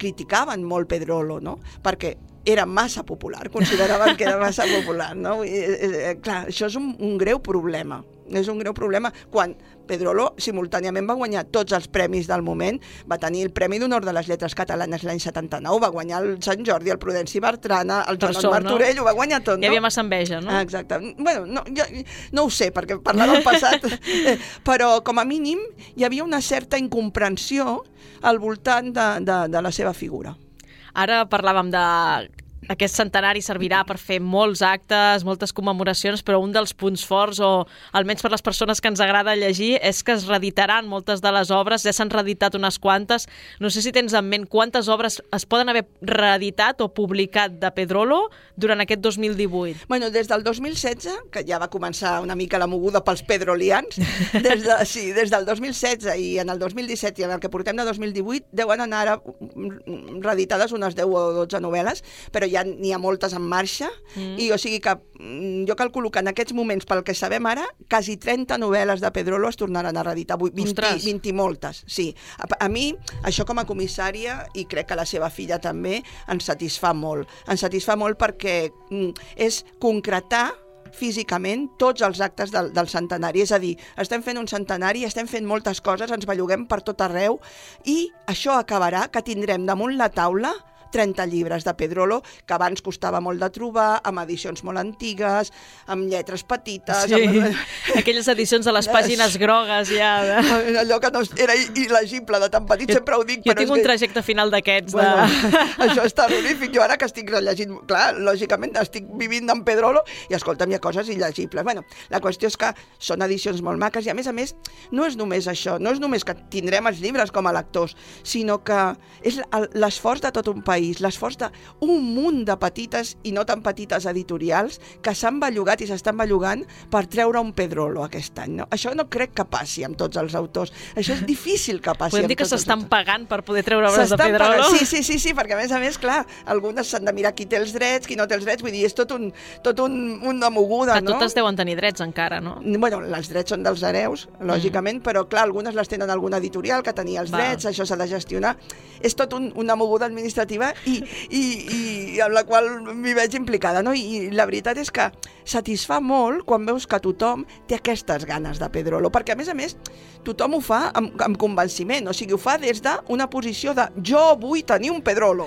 criticaven molt Pedrolo, no? Perquè era massa popular, consideraven que era massa popular, no? I, eh, clar, això és un, un greu problema. És un greu problema quan Pedrolo simultàniament va guanyar tots els premis del moment, va tenir el Premi d'Honor de les Lletres Catalanes l'any setanta-nou, va guanyar el Sant Jordi, el Prudenci Bertrana, el Joan Martorell, no? Ho va guanyar tot, no? Hi havia massa enveja, no? Ah, exacte. Bueno, no, jo, no ho sé, perquè parlar del passat, eh, però com a mínim hi havia una certa incomprensió al voltant de, de, de la seva figura. Ara parlàvem de... Aquest centenari servirà per fer molts actes, moltes commemoracions, però un dels punts forts, o almenys per les persones que ens agrada llegir, és que es reeditaran moltes de les obres, ja s'han reeditat unes quantes. No sé si tens en ment quantes obres es poden haver reeditat o publicat de Pedrolo durant aquest dos mil divuit. Bueno, des del dos mil setze, que ja va començar una mica la moguda pels pedrolians, des, de, sí, des del dos mil setze i en el dos mil disset i en el que portem de dos mil divuit, deuen anar ara reeditades unes deu o dotze novel·les, però ja n'hi ha moltes en marxa, mm. i o sigui que jo calculo que en aquests moments, pel que sabem ara, quasi trenta novel·les de Pedrolo es tornaran a reeditar, vint, vint i moltes, sí. A, a mi, això com a comissària, i crec que la seva filla també, ens satisfà molt. Ens satisfà molt perquè mm, és concretar físicament tots els actes del, del centenari. És a dir, estem fent un centenari, estem fent moltes coses, ens belluguem per tot arreu, i això acabarà que tindrem damunt la taula trenta llibres de Pedrolo, que abans costava molt de trobar, amb edicions molt antigues, amb lletres petites... Sí, amb... aquelles edicions de les pàgines grogues ja... De... Allò que no era il·legible de tan petit, jo, sempre ho dic... Jo però tinc un que... trajecte final d'aquests. Bueno, de... Això és terrorífic. Jo ara que estic rellegint... Clar, lògicament estic vivint en Pedrolo i, escolta'm, hi ha coses il·legibles. Bueno, la qüestió és que són edicions molt maques i, a més a més, no és només això, no és només que tindrem els llibres com a lectors, sinó que és l'esforç de tot un país, l'esforç d'un munt de petites i no tan petites editorials que s'han bellugat i s'estan bellugant per treure un Pedrolo aquest any. No? Això no crec que passi amb tots els autors. Això és difícil que passi. Podem dir que s'estan pagant per poder treure obres de Pedrolo? Sí, sí, sí, sí, perquè a més a més, clar, algunes s'han de mirar qui té els drets, qui no té els drets, vull dir, és tot un, tot un, una moguda, no? Totes deuen tenir drets encara, no? Bueno, els drets són dels hereus, lògicament, mm. però clar, algunes les tenen alguna editorial que tenia els Val. drets, això s'ha de gestionar. És tot un, una moguda administrativa pel·lícula i, i, i amb la qual m'hi veig implicada, no? I, I la veritat és que satisfà molt quan veus que tothom té aquestes ganes de Pedrolo, perquè a més a més tothom ho fa amb, amb convenciment, o sigui, ho fa des d'una posició de jo vull tenir un Pedrolo.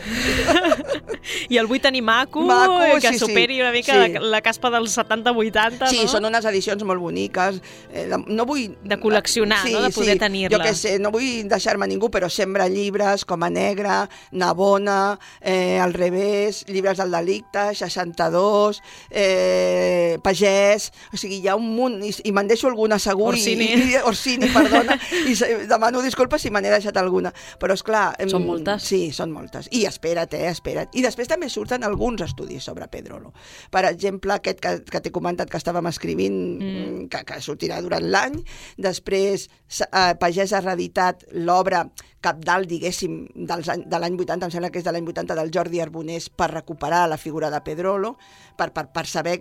I el vull tenir maco, maco que sí, superi sí, una mica sí. la, la caspa dels setanta vuitanta, sí, no? Sí, són unes edicions molt boniques. Eh, no vull... De col·leccionar, sí, no? De poder sí. tenir-la. Jo què sé, no vull deixar-me ningú, però Sembra llibres, Com a Negra, Navona, eh, Al revés, Llibres del delicte, seixanta-dos, eh, Pagès, o sigui, hi ha un munt, i, i me'n deixo alguna segur. Orsini. I, i, Orsini, perdona, i demano disculpes si me n'he deixat alguna. Però, esclar... Són moltes. Sí, són moltes. I espera't, eh, espera't. I després també surten alguns estudis sobre Pedrolo. Per exemple, aquest que, que t'he comentat que estàvem escrivint, mm. que, que sortirà durant l'any. Després, eh, Pagès ha reeditat l'obra cabdal, diguéssim, dels any, de l'any vuitanta, em sembla que és de l'any vuitanta, del Jordi Arbonés, per recuperar la figura de Pedrolo, per, per, per saber,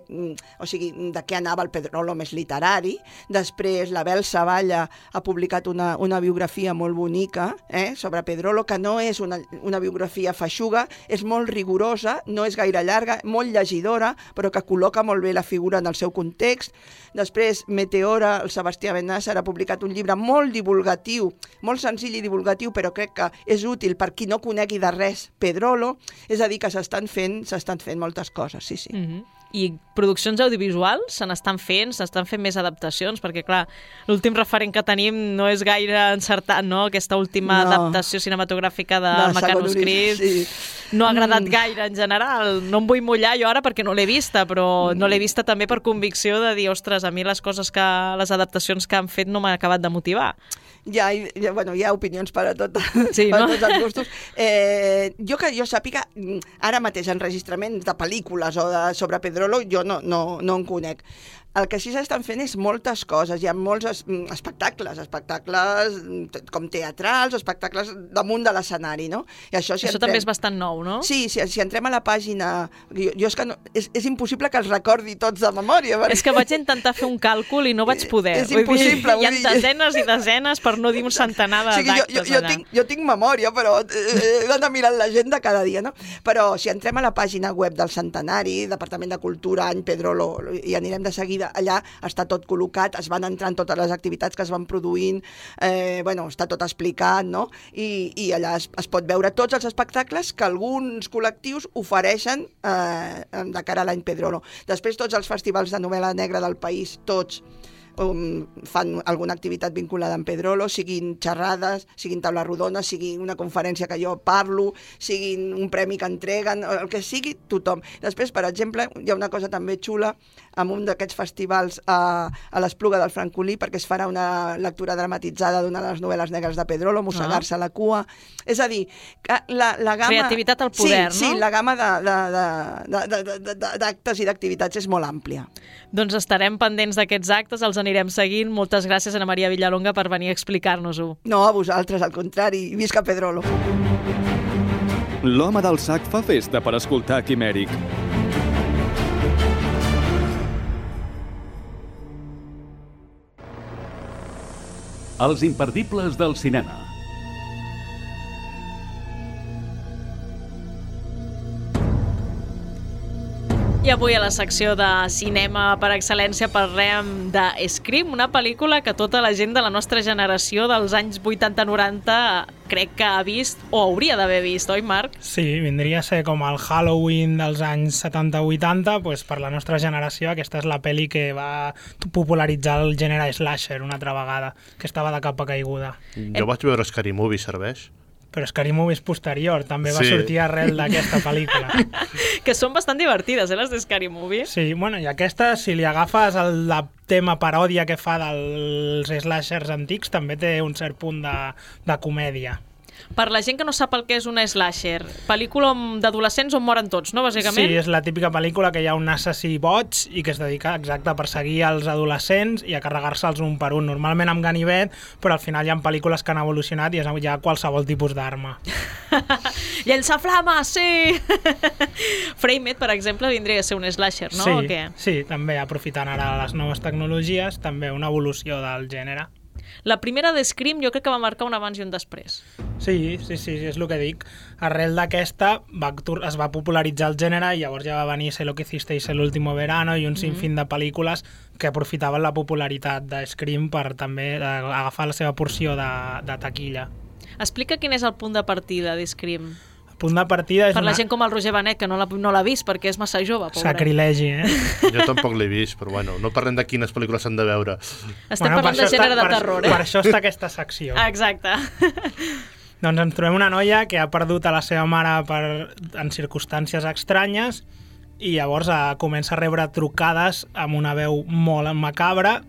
o sigui, de què anava el Pedrolo més literari. Després, l'Abel Savalla ha publicat una, una biografia molt bonica eh, sobre Pedrolo, que no és una, una biografia feixuga, és molt rigorosa, no és gaire llarga, molt llegidora, però que col·loca molt bé la figura en el seu context. Després, Meteora, el Sebastià Benàsser, ha publicat un llibre molt divulgatiu, molt senzill i divulgatiu, però crec que és útil per qui no conegui de res Pedrolo. És a dir, que s'estan fent, s'estan fent moltes coses, sí, sí. Mm-hmm. I produccions audiovisuals se n'estan fent, s'estan fent més adaptacions, perquè, clar, l'últim referent que tenim no és gaire encertat, no? Aquesta última no. adaptació cinematogràfica del de Mecanoscrit sí. no ha agradat mm. gaire en general. No em vull mullar jo ara perquè no l'he vista, però no l'he vista també per convicció de dir, ostres, a mi les coses que, les adaptacions que han fet no m'han acabat de motivar. Ja, ja, bueno, hi ha opinions per a, tot, sí, per no? a tots els gustos. Eh, jo que jo sàpiga, ara mateix enregistraments de pel·lícules o de, sobre Pedrolo, jo no, no, no en conec. El que sí s'estan fent és moltes coses. Hi ha molts es, espectacles, espectacles com teatrals, espectacles damunt de l'escenari, no? I això si això entrem... també és bastant nou, no? Sí, si, si entrem a la pàgina... Jo, jo és que no, és, és impossible que els recordi tots de memòria. Perquè... És que vaig intentar fer un càlcul i no vaig poder. És impossible. Vull dir, hi ha desenes i desenes, per no dir un centenar de o sigui, d'actes. Jo, jo, jo, tinc, jo tinc memòria, però he d'anar mirant l'agenda cada dia, no? Però si entrem a la pàgina web del Centenari, Departament de Cultura, any Pedrolo, i anirem de seguida, allà està tot col·locat, es van entrant totes les activitats que es van produint, eh, bueno, està tot explicat, no? I, i allà es, es pot veure tots els espectacles que alguns col·lectius ofereixen eh, de cara a l'any Pedrolo. Després tots els festivals de novel·la negra del país, tots, Um, fan alguna activitat vinculada amb Pedrolo, siguin xerrades, siguin taula rodona, sigui una conferència que jo parlo, siguin un premi que entreguen, el que sigui, tothom. Després, per exemple, hi ha una cosa també xula amb un d'aquests festivals a, a l'Espluga del Francolí, perquè es farà una lectura dramatitzada d'una de les novel·les negres de Pedrolo, Mossegar-se ah. la cua. És a dir, la, la gamma... Creativitat al poder, sí, no? Sí, la gamma d'actes i d'activitats és molt àmplia. Doncs estarem pendents d'aquests actes, els anirem seguint. Moltes gràcies, Ana Maria Villalonga, per venir a explicar-nos-ho. No, a vosaltres, al contrari. Visca Pedrolo. L'home del sac fa festa per escoltar Quimèric. Els imperdibles del cinema. I avui a la secció de cinema per excel·lència parlem de Scream, una pel·lícula que tota la gent de la nostra generació dels anys vuitanta noranta crec que ha vist o hauria d'haver vist, oi Marc? Sí, vindria a ser com el Halloween dels anys setanta vuitanta, doncs per la nostra generació aquesta és la pel·li que va popularitzar el gènere slasher una altra vegada, que estava de capa caiguda. Jo vaig veure Scary Movie, serveix? Però Scary Movie és posterior, també va sí. sortir arrel d'aquesta pel·lícula. Que són bastant divertides, eh, les de Scary Movie. Sí, bueno, i aquesta, si li agafes el tema paròdia que fa dels slashers antics, també té un cert punt de, de comèdia. Per la gent que no sap el que és una slasher, pel·lícula d'adolescents on moren tots, no, bàsicament? Sí, és la típica pel·lícula que hi ha un assassí boig i que es dedica exacte a perseguir els adolescents i a carregar-se'ls un per un, normalment amb ganivet, però al final hi ha pel·lícules que han evolucionat i hi ha qualsevol tipus d'arma. Llença flames, sí! Framed, per exemple, vindria a ser un slasher, no? Sí, o què? sí, també aprofitant ara les noves tecnologies, també una evolució del gènere. La primera de Scream jo crec que va marcar un abans i un després. Sí, sí, sí, és el que dic. Arrel d'aquesta va, es va popularitzar el gènere i llavors ja va venir Sé lo que hicisteis el último verano i un sinfín de pel·lícules que aprofitaven la popularitat de Scream per també agafar la seva porció de, de taquilla. Explica quin és el punt de partida de Scream. El punt de partida és per la una... gent com el Roger Benet, que no l'ha no l'ha vist perquè és massa jove, pobre. Sacrilegi, eh? Jo tampoc l'he vist, però bueno, no parlem de quines pel·lícules s'han de veure. Estem bueno, parlant de gènere està, de terror, per, eh? Per això està aquesta secció. Exacte. Doncs ens trobem una noia que ha perdut a la seva mare per, en circumstàncies estranyes i llavors eh, comença a rebre trucades amb una veu molt macabra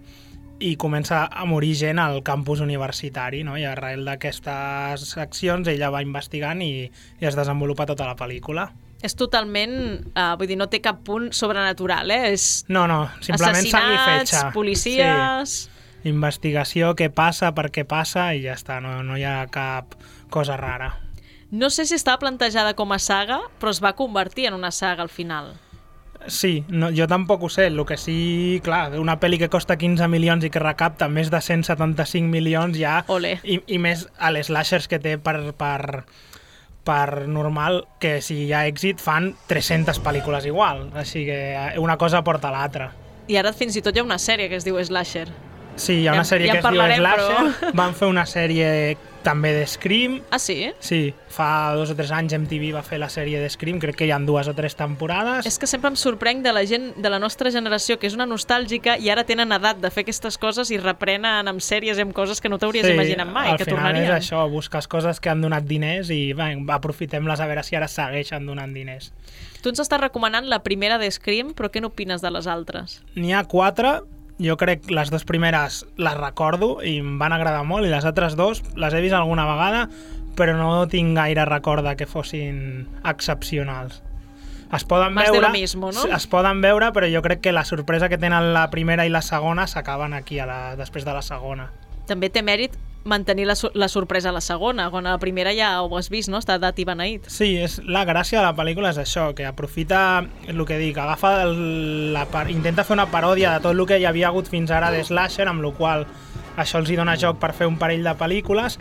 i comença a morir gent al campus universitari, no? I arrel d'aquestes accions ella va investigant i, i es desenvolupa tota la pel·lícula. És totalment, uh, vull dir, no té cap punt sobrenatural, eh? És no, no, simplement sang i fetge. Assassinats, policies... Sí. Investigació, què passa, per què passa i ja està, no, no hi ha cap cosa rara. No sé si estava plantejada com a saga, però es va convertir en una saga al final. Sí, no, jo tampoc ho sé, el que sí, clar, una pel·li que costa quinze milions i que recapta més de cent setanta-cinc milions ja, i, i més a les slashers que té per, per, per normal, que si hi ha èxit fan tres-centes pel·lícules igual, així que una cosa porta a l'altra. I ara fins i tot hi ha una sèrie que es diu Slasher. Sí, hi ha una ja, sèrie ja que es diu Slasher, però... van fer una sèrie també de Scream. Ah, sí? Sí, fa dos o tres anys M T V va fer la sèrie de Scream, crec que hi ha dues o tres temporades. És que sempre em sorprenc de la gent de la nostra generació, que és una nostàlgica i ara tenen edat de fer aquestes coses i reprenen amb sèries i amb coses que no t'hauries sí, imaginat mai, que tornarien. Sí, al final és això, busques coses que han donat diners i va, aprofitem-les a veure si ara segueixen donant diners. Tu ens estàs recomanant la primera de Scream, però què n'opines de les altres? N'hi ha quatre. Jo crec que les dues primeres les recordo i em van agradar molt i les altres dues les he vist alguna vegada però no tinc gaire record que fossin excepcionals. Es poden Más veure, de lo mismo, no? Es poden veure, però jo crec que la sorpresa que tenen la primera i la segona s'acaben aquí a la, després de la segona. També té mèrit mantenir la, la sorpresa a la segona, quan a la primera ja ho has vist, no? Està dat i beneït. Sí, és, la gràcia de la pel·lícula és això, que aprofita el que dic, agafa el, la, intenta fer una paròdia de tot el que hi havia hagut fins ara de slasher, amb la qual això els hi dona joc per fer un parell de pel·lícules,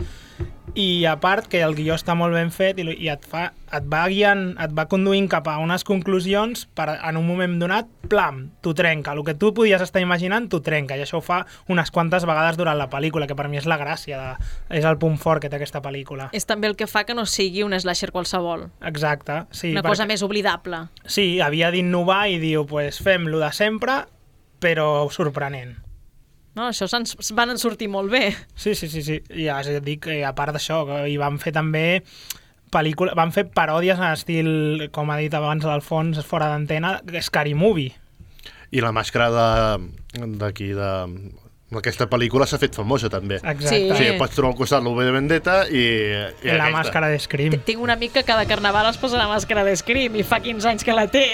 i a part que el guió està molt ben fet i, i et, fa, et va guiant, et va conduint cap a unes conclusions per en un moment donat, plam, t'ho trenca. El que tu podies estar imaginant t'ho trenca i això ho fa unes quantes vegades durant la pel·lícula, que per mi és la gràcia, de, és el punt fort que té aquesta pel·lícula. És també el que fa que no sigui un slasher qualsevol. Exacte, sí. Una cosa més oblidable. Sí, havia d'innovar i diu, pues fem-lo de sempre, però sorprenent. No, això se'ns van sortir molt bé. Sí, sí, sí, sí. Ja us dic, a part d'això, i van fer també pel·lícula, van fer paròdies en estil, com ha dit abans l'Alfons, fora d'antena, Scary Movie. I la màscara d'aquí, de... d'aquesta pel·lícula s'ha fet famosa també. Exacte. Sí. O sigui, pots trobar al costat l'U V de Vendetta i, i, I la aquesta. màscara de Scream. Tinc un amic que cada carnaval es posa la màscara de Scream i fa quinze anys que la té.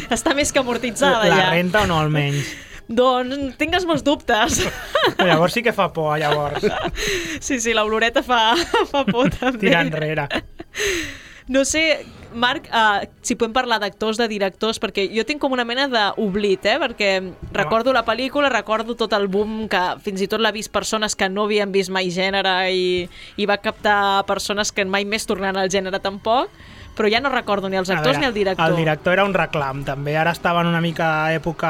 Està més que amortitzada la ja. La renta o no, almenys? Doncs tingues molts dubtes. Llavors sí que fa por, llavors. Sí, sí, l'oloreta fa, fa por també. Tira enrere. No sé, Marc, uh, si podem parlar d'actors, de directors, perquè jo tinc com una mena d'oblit, eh? Perquè recordo la pel·lícula, recordo tot el boom que fins i tot l'ha vist persones que no havien vist mai gènere i, i va captar persones que mai més tornaran al gènere tampoc, però ja no recordo ni els actors veure, ni el director. El director era un reclam, també. Ara estava en una mica època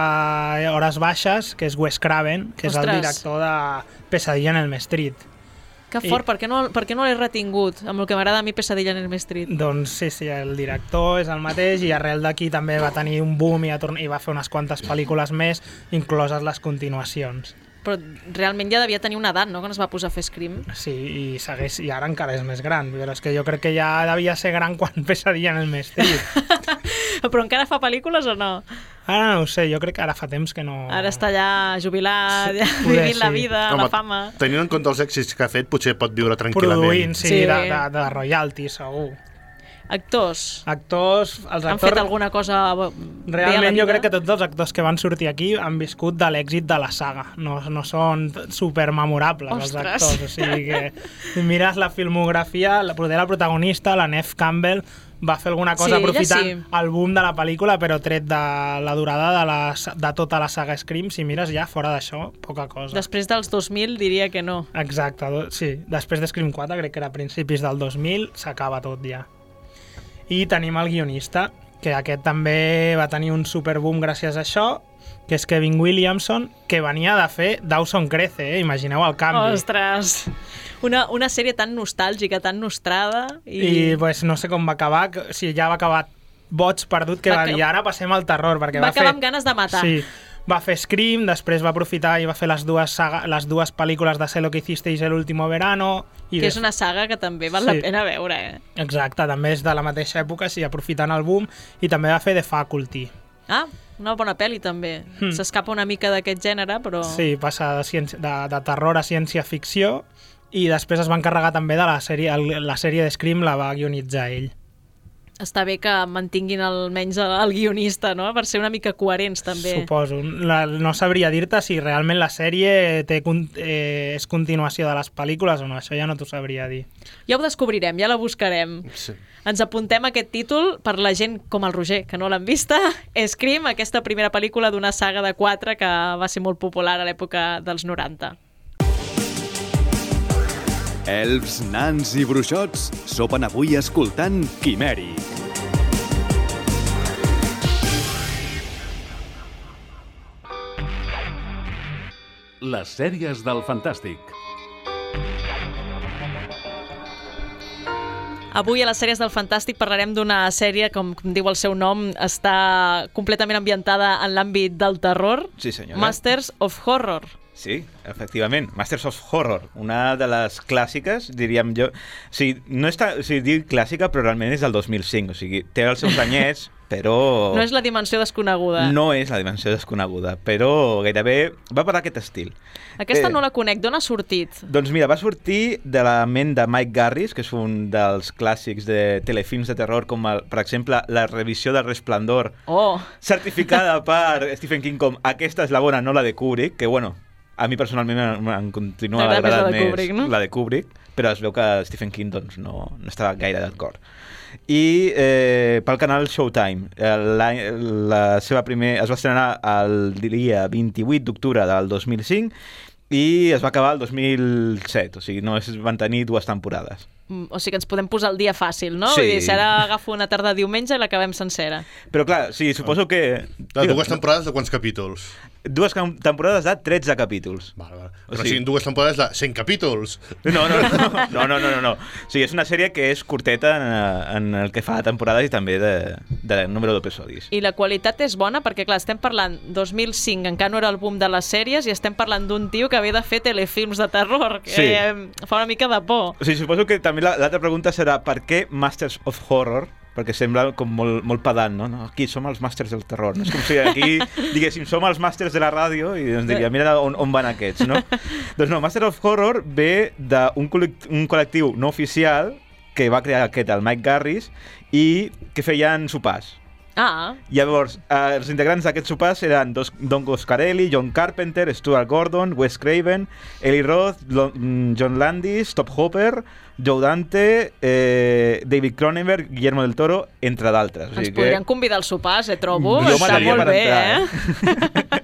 hores baixes, que és Wes Craven, que Ostres. és el director de Pesadilla en Elm Street. Que fort, I... per què no, per què no l'he retingut amb el que m'agrada a mi Pesadilla en Elm Street? Doncs sí, sí, el director és el mateix i arrel d'aquí també va tenir un boom i, i va fer unes quantes pel·lícules més, incloses les continuacions. Però realment ja devia tenir una edat, no?, quan es va posar a fer Scream. Sí, i segueix, i ara encara és més gran, però és que jo crec que ja devia ser gran quan Pesadilla en Elm Street. Però encara fa pel·lícules o no? Ara no ho sé, jo crec que ara fa temps que no... Ara està ja jubilat, sí, ja vivint sí. la vida, Home, la fama. Tenint en compte els èxits que ha fet, potser pot viure tranquil·lament. Produint, sí, sí. de, de, de royalty, segur. Actors. Actors, els actors... Han fet alguna cosa Realment jo crec que tots els actors que van sortir aquí han viscut de l'èxit de la saga. No, no són supermemorables els actors. O sigui que si mires la filmografia, la, la protagonista, la Neve Campbell, va fer alguna cosa Sí, aprofitant sí. el boom de la pel·lícula, però tret de la durada de, la, de tota la saga Scream, si mires ja fora d'això, poca cosa. Després dels dos mil diria que no. Exacte, do- sí. Després de Scream quatre, crec que era a principis del dos mil, s'acaba tot ja. I tenim el guionista, que aquest també va tenir un superboom gràcies a això, que és Kevin Williamson, que venia de fer Dawson Crece, eh? Imagineu el canvi. Ostres! Una, una sèrie tan nostàlgica, tan nostrada. I, I pues, no sé com va acabar, que- o sigui, ja va acabar boig perdut, que Va va dir, acabar- ara passem al terror, perquè va va, fer... acabar amb ganes de matar. Sí, va fer Scream, després va aprofitar i va fer les dues, saga, les dues pel·lícules de Sé lo que hicisteis el último verano. I que des- és una saga que també val Sí. la pena veure, eh? Exacte, també és de la mateixa època, sí, aprofitant el boom, i també va fer The Faculty. Ah, una bona pel·li també. Hmm. S'escapa una mica d'aquest gènere, però... Sí, passa de, ciència, de, de terror a ciència-ficció, i després es va encarregar també de la sèrie, el, la sèrie de Scream la va guionitzar ell. Està bé que mantinguin almenys el, el guionista, no? Per ser una mica coherents, també. Suposo. La, no sabria dir-te si realment la sèrie té, con- eh, és continuació de les pel·lícules o no, això ja no t'ho sabria dir. Ja ho descobrirem, ja la buscarem. Sí. Ens apuntem aquest títol per la gent com el Roger, que no l'han vista. Scream, aquesta primera pel·lícula d'una saga de quatre que va ser molt popular a l'època dels noranta. Elfs, nans i bruixots sopen avui escoltant Quimèric. Les sèries del Fantàstic. Avui a les sèries del Fantàstic parlarem d'una sèrie, com, com diu el seu nom, està completament ambientada en l'àmbit del terror. Sí, senyora. Masters of Horror. Sí, efectivament. Masters of Horror, una de les clàssiques, diríem jo. O sigui, no està, o sigui, dic clàssica, però realment és del dos mil cinc. O sigui, té els seus anyets, però... No és la dimensió desconeguda. No és la dimensió desconeguda, però gairebé va per aquest estil. Aquesta Eh, no la conec. D'on ha sortit? Doncs mira, va sortir de la ment de Mike Garris, que és un dels clàssics de telefilms de terror, com el, per exemple la revisió del Resplendor, Oh, certificada per Stephen King com aquesta és la bona, no la de Kubrick, que bueno, a mi personalment em, em continua T'agrada més la agradant de més Kubrick, no? la de Kubrick, però es veu que Stephen King doncs, no, no estava gaire d'acord. I eh, pel canal Showtime, eh, la, la seva primer, es va estrenar el dia vint-i-vuit d'octubre del dos mil cinc i es va acabar el dos mil set, o sigui, no es van tenir dues temporades. mm, o sigui que ens podem posar el dia fàcil, no? Sí. Vull dir, si ara agafo una tarda de diumenge i l'acabem sencera. Però clar, sí, suposo que... De dues temporades de quants capítols? Dues cam- temporades de tretze capítols. Vale, vale. O Però sigui- siguin dues temporades de cent capítols. No, no, no, no, no, no, no, no. O sigui, és una sèrie que és curteta en, en el que fa de temporades i també de, de número d'episodis. I la qualitat és bona perquè, clar, estem parlant dos mil cinc, encara no era el boom de les sèries, i estem parlant d'un tio que ve de fer telefilms de terror, que Sí. eh, fa una mica de por. O sigui, suposo que també la- l'altra pregunta serà per què Masters of Horror? Perquè sembla com molt, molt pedant, no? no? Aquí som els màsters del terror. No? És com si aquí diguéssim som els màsters de la ràdio i ens diria, mira on, on van aquests, no? Doncs no, Master of Horror ve d'un col·lect un col·lectiu no oficial que va crear aquest, el Mike Garris, i que feien sopars. Ah, Llavors, eh, els integrants d'aquests sopars eren dos, Don Coscarelli, John Carpenter, Stuart Gordon, Wes Craven, Eli Roth, Lo- mm, John Landis, Top Hopper, Joe Dante, eh, David Cronenberg, Guillermo del Toro, entre d'altres. ens podrien convidar als sopars, eh, trobo. Jo Està m'aniria molt per bé, entrar, eh?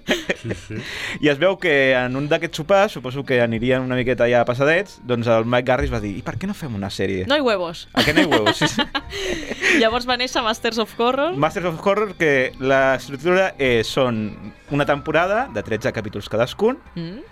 Sí, sí. I es veu que en un d'aquests sopars, suposo que anirien una miqueta allà passadets, doncs el Mike Garris va dir, i per què no fem una sèrie? No hi huevos. A què no hi huevos? Sí, sí. Llavors va néixer Masters of Horror. Masters of Horror, que l'estructura és, són una temporada de tretze capítols cadascun, Mm.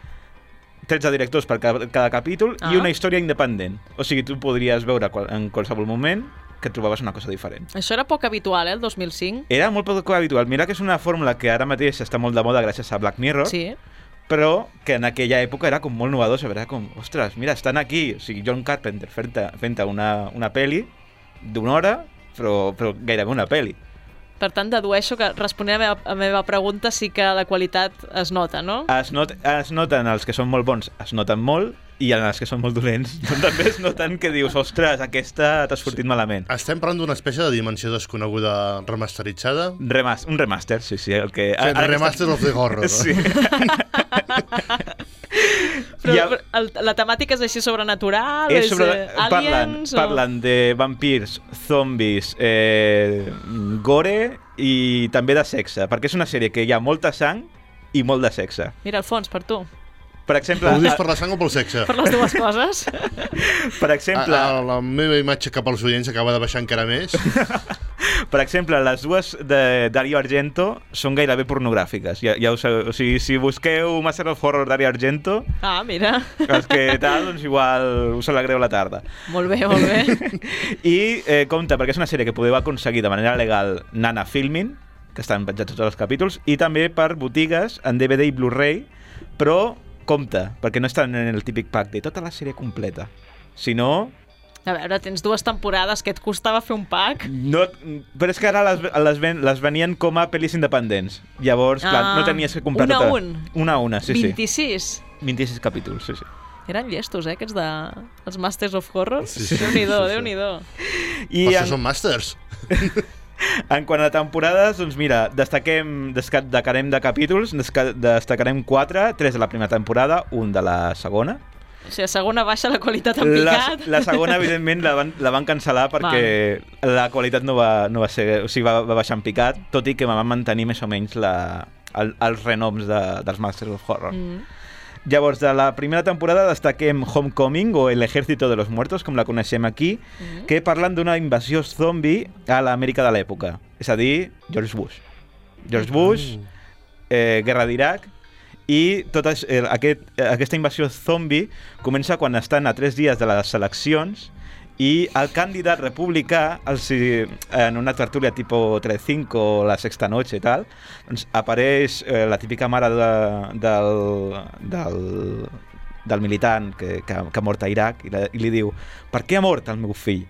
tretze directors per cada, cada capítol Ah. i una història independent. O sigui, tu podries veure qual, en qualsevol moment que trobaves una cosa diferent. Això era poc habitual, eh, el dos mil cinc. Era molt poc habitual. Mira que és una fórmula que ara mateix està molt de moda gràcies a Black Mirror, Sí. però que en aquella època era com molt novedor, era com, ostres, mira, estan aquí, o sigui, John Carpenter fent-te fent una, una pel·li d'una hora, però, però gairebé una pel·li. Per tant, dedueixo que responent a la meva, a la meva pregunta sí que la qualitat es nota, no? Es, not, es noten els que són molt bons, es noten molt, i en els que són molt dolents doncs també es noten que dius, ostres, aquesta t'ha sortit malament. Estem parlant d'una espècie de dimensió desconeguda remasteritzada? Remas, un remaster, sí, sí. El que, Sí, ara que remaster està- of the horror. Sí. Però ha... el, la temàtica és així sobrenatural? És és sobre... eh, aliens? Parlen, parlen de vampirs, zombis, eh, gore i també de sexe, perquè és una sèrie que hi ha molta sang i molt de sexe. Mira, Alfons, per tu. Per exemple... Ho dius per la sang o pel sexe? Per les dues coses. Per exemple... A, a, la meva imatge cap als oients acaba de baixar encara més. Per exemple, les dues de Dario Argento són gairebé pornogràfiques. Ja, ja us, o sigui, si busqueu Master of Horror Dario Argento... Ah, mira. Els que tal, doncs igual us alegreu la tarda. Molt bé, molt bé. I eh, compte, perquè és una sèrie que podeu aconseguir de manera legal Nana Filming, que estan penjats tots els capítols, i també per botigues en D V D i Blu-ray, però compte, perquè no estan en el típic pack de tota la sèrie completa. Si no... A veure, tens dues temporades, que et costava fer un pack? No, però és que ara les, les, ven, les venien com a pel·lis independents. Llavors, ah, clar, no tenies que comprar una tota... Un. Una a una, sí, vint-i-sis? sí. vint-i-sis capítols, sí, sí. Eren llestos, eh, aquests de... els Masters of Horror? Sí, sí. Déu-n'hi-do, Sí, sí. Déu-n'hi-do. I Per en... això són màsters. En quant a temporades, doncs mira, destaquem, destacarem de capítols, destacarem quatre, tres de la primera temporada, un de la segona. O sigui, a segona baixa la qualitat en picat. La, la segona, evidentment, la van, la van cancel·lar perquè vale. La qualitat no va, no va ser... O sigui, va, va baixar en picat, tot i que van mantenir més o menys la, el, els renoms de, dels Masters of Horror. Mm. Llavors, de la primera temporada destaquem Homecoming, o El Ejército de los Muertos, com la coneixem aquí, mm. que parlen d'una invasió zombi a l'Amèrica de l'època. És a dir, George Bush. George Bush, eh, Guerra d'Iraq, i tota eh, aquest, aquesta invasió zombi comença quan estan a tres dies de les eleccions i el candidat republicà, els, en una tertúlia tipus Telecinco o La Sexta Noche i tal, doncs apareix eh, la típica mare de, del, del, del militant que, que, que ha mort a Iraq i, la, i li diu: per què ha mort el meu fill?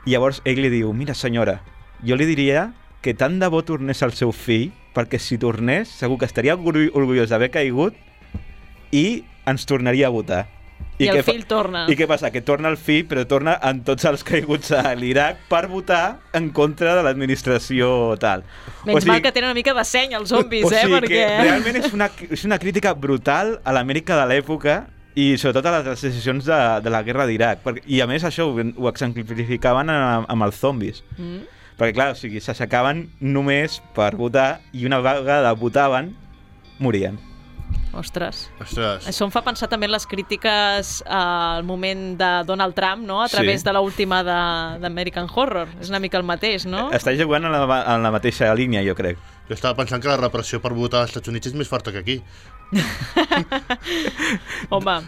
I llavors ell li diu: mira senyora, jo li diria que tant de bo tornés el seu fill, perquè si tornés segur que estaria orgullós d'haver caigut i ens tornaria a votar. I, I el fill torna. I què passa? Que torna el fill, però torna amb tots els caiguts a l'Iraq per votar en contra de l'administració tal. Menys o sigui, mal que tenen una mica de seny els zombis, o sigui, eh? Perquè... que realment és una, és una crítica brutal a l'Amèrica de l'època i sobretot a les decisions de, de la guerra d'Iraq. I a més això ho, ho exemplificaven amb, amb els zombis. Mm. Perquè clar, o sigui, s'aixecaven només per votar i una vegada votaven, morien. Ostres. Ostres. Això em fa pensar també en les crítiques al moment de Donald Trump, no? A través sí. de l'última d'American Horror. És una mica el mateix, no? Està jugant en la, en la mateixa línia, jo crec. Jo estava pensant que la repressió per votar als Estats Units és més forta que aquí. Home,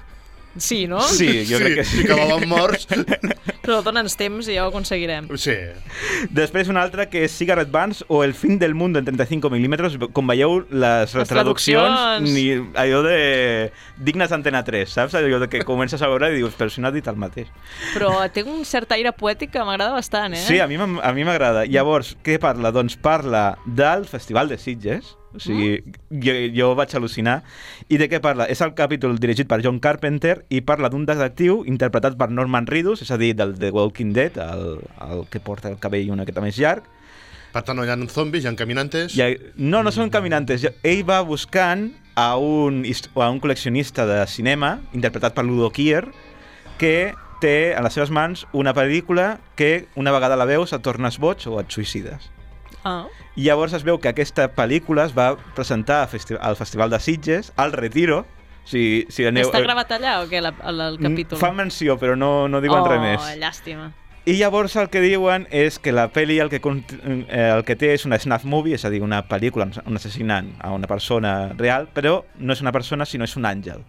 sí, no? Sí, jo sí, crec que sí. Si acabàvem morts... Però dona'ns temps i ja ho aconseguirem. Sí. Després una altra que és Cigarette Burns o El fin del mundo en treinta-cinco milímetros. Com veieu, les, les traduccions ni allò de dignes d'Antena tres, saps? Allò de que comences a veure i dius, però si no ha dit el mateix. Però té un cert aire poètic que m'agrada bastant, eh? Sí, a mi a mi m'agrada. Llavors, què parla? Doncs parla del Festival de Sitges. O sigui, mm. jo, jo vaig al·lucinar. I de què parla? És el capítol dirigit per John Carpenter i parla d'un detectiu interpretat per Norman Reedus, és a dir, del The Walking Dead, el, el que porta el cabell una miqueta més llarg. Per tant, no hi ha zombis, hi ha caminantes... Ha, no, no són caminantes. Ell va buscant a un, a un col·leccionista de cinema, interpretat per Ludo Kier, que té a les seves mans una pel·lícula que una vegada la veus et tornes boig o et suïcides. Ah. I llavors es veu que aquesta pel·lícula es va presentar al Festival de Sitges, al Retiro. Si, si aneu... Està gravat allà o què, el, el capítol? Fan menció, però no, no diuen oh, res més. Oh, llàstima. I llavors el que diuen és que la pel·li el que, el que té és una snuff movie, és a dir, una pel·lícula on assassinant a una persona real, però no és una persona, sinó és un àngel.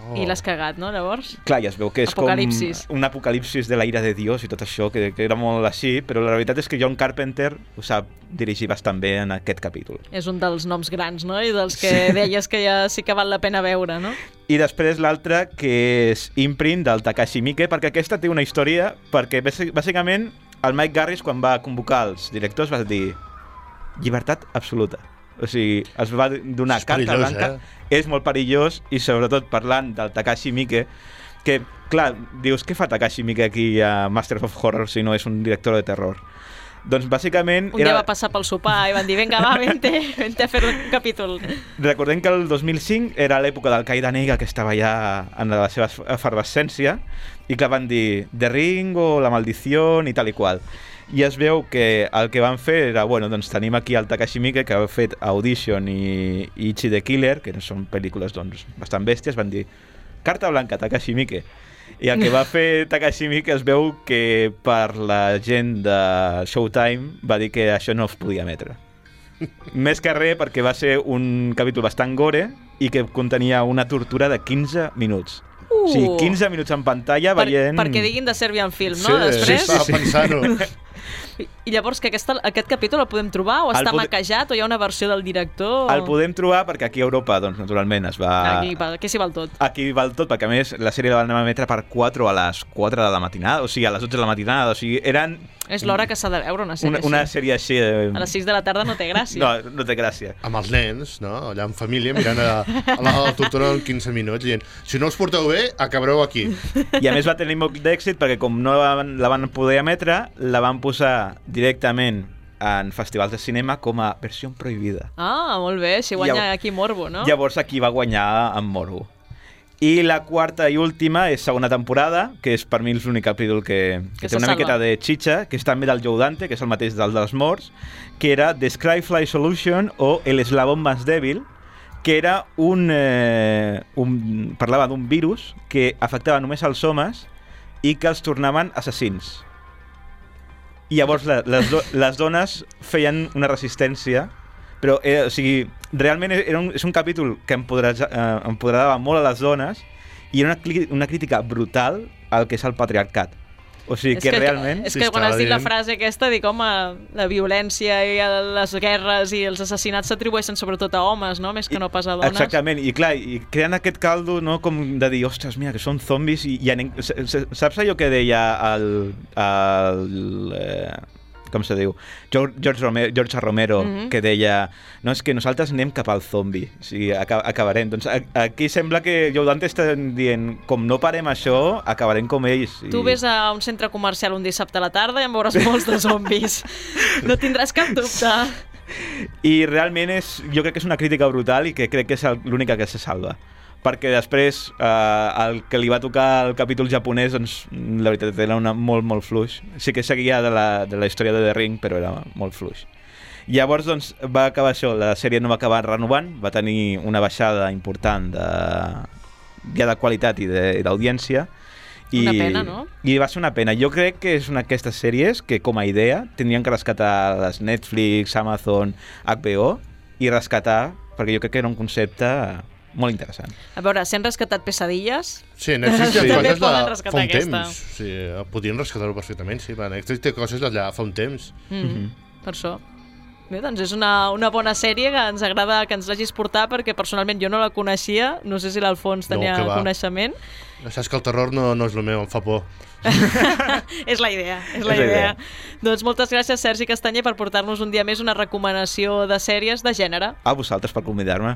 Oh. I l'has cagat, no, llavors? Clar, ja es veu que és apocalipsis. Com un apocalipsis de la ira de Dios i tot això, que, que era molt així, però la veritat és que John Carpenter ho sap dirigir bastant bé en aquest capítol. És un dels noms grans, no? I dels que sí. deies que ja sí que val la pena veure, no? I després l'altra, que és Imprint, del Takashi Miike, perquè aquesta té una història, perquè bàsicament el Mike Garris, quan va convocar els directors, va dir llibertat absoluta. O sigui, es va donar carta blanca. Eh? És molt perillós, i sobretot parlant del Takashi Miike, que, clar, dius, què fa Takashi Miike aquí a Masters of Horror si no és un director de terror? Doncs bàsicament... Un dia va passar pel sopar i van dir, vinga, va, vente, vente a fer un capítol. Recordem que el dos mil cinc era l'època del Qaeda Negra, que estava ja en la seva efervescència, i que van dir The Ring o La Maldició i tal i qual. I es veu que el que van fer era, bueno, doncs tenim aquí el Takashi Miike, que ha fet Audition i, i Ichi the Killer, que són pel·lícules doncs, bastant bèsties, van dir carta blanca, Takashi Miike. I el que va fer Takashi Miike es veu que per la gent de Showtime va dir que això no es podia emetre. Més que res perquè va ser un capítol bastant gore i que contenia una tortura de quinze minuts. Uh. O sigui, quinze minuts en pantalla veient... Per, perquè diguin de Serbian Film, no? Sí, Després... sí, estava pensant-ho. I, I llavors, que aquesta, aquest capítol el podem trobar o està pod... maquejat o hi ha una versió del director? El podem trobar perquè aquí a Europa, doncs, naturalment, es va... Aquí, aquí s'hi val tot. Aquí val tot, perquè a més la sèrie la van emetre per quatre a les quatre de la matinada, o sigui, a les dotze de la matinada, o sigui, eren... És l'hora que s'ha de veure una sèrie una, una així. sèrie així... Eh... A les sis de la tarda no té gràcia. No, no té gràcia. Amb els nens, no? Allà en família, mirant a, a la, a la tortura en quinze minuts, dient, si no us porteu bé, acabareu aquí. I a més va tenir molt d'èxit perquè com no la van, la van poder emetre, la van posar directament en festivals de cinema com a versió prohibida. Ah, molt bé, així guanya Llavors, aquí morbo, no? Llavors aquí va guanyar amb morbo. I la quarta i última és segona temporada, que és per mi l'únic capítol que, que, que té una salva. Miqueta de xitxa, que és també del Joe Dante, que és el mateix del dels morts, que era The Skyfly Solution o El eslabón más débil, que era un, eh, un... parlava d'un virus que afectava només als homes i que els tornaven assassins. I llavors la, les, do, les dones feien una resistència, però eh, o sigui, realment era un, és un capítol que empoderava, eh, empoderava molt a les dones i era una, una crítica brutal al que és el patriarcat. O sigui, és que, que realment... És que quan has dit la frase aquesta, dic, home, la violència i les guerres i els assassinats s'atribueixen sobretot a homes, no? Més que no pas a dones. Exactament, i clar, i creen aquest caldo, no?, com de dir, ostres, mira, que són zombis i, i anem... Saps allò que deia el... el eh, com se diu? George, George, Romero, George Romero, mm-hmm. que deia, no, és que nosaltres anem cap al zombi, o sigui, acabarem. Doncs aquí sembla que Joe Dante està dient, com no parem això, acabarem com ells. I... Tu ves a un centre comercial un dissabte a la tarda i en veuràs molts de zombis. No tindràs cap dubte. I realment és, jo crec que és una crítica brutal i que crec que és l'única que se salva. Perquè després eh, el que li va tocar el capítol japonès, doncs la veritat era una, molt, molt fluix. Sí que seguia de la, de la història de The Ring, però era molt fluix. Llavors, doncs, va acabar això, la sèrie no va acabar renovant, va tenir una baixada important de, ja de qualitat i d'audiència. I, una pena, no? I va ser una pena. Jo crec que és una d'aquestes sèries que, com a idea, tindrien que rescatar les Netflix, Amazon, H B O, i rescatar, perquè jo crec que era un concepte molt interessant. A veure, si han rescatat Pesadilles... Sí, Netflix té sí. coses de rescatar fa un aquesta. temps. Sí, podien rescatar-ho perfectament, sí. Netflix té coses d'allà fa un temps. Mm -hmm. Mm-hmm. Per això. Bé, doncs és una, una bona sèrie que ens agrada que ens l'hagis portat perquè personalment jo no la coneixia, no sé si l'Alfons tenia no, coneixement. Saps que el terror no, no és el meu, em fa por. És la idea, és la, és idea. idea. Doncs moltes gràcies, Sergi Castanyer, per portar-nos un dia més una recomanació de sèries de gènere. A vosaltres per convidar-me.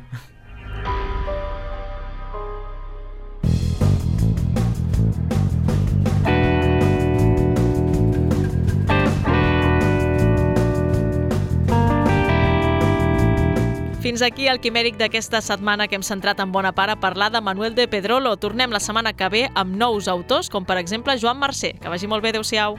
Fins aquí el Quimèric d'aquesta setmana que hem centrat en bona part a parlar de Manuel de Pedrolo. Tornem la setmana que ve amb nous autors, com per exemple Joan Mercè. Que vagi molt bé, adeu-siau.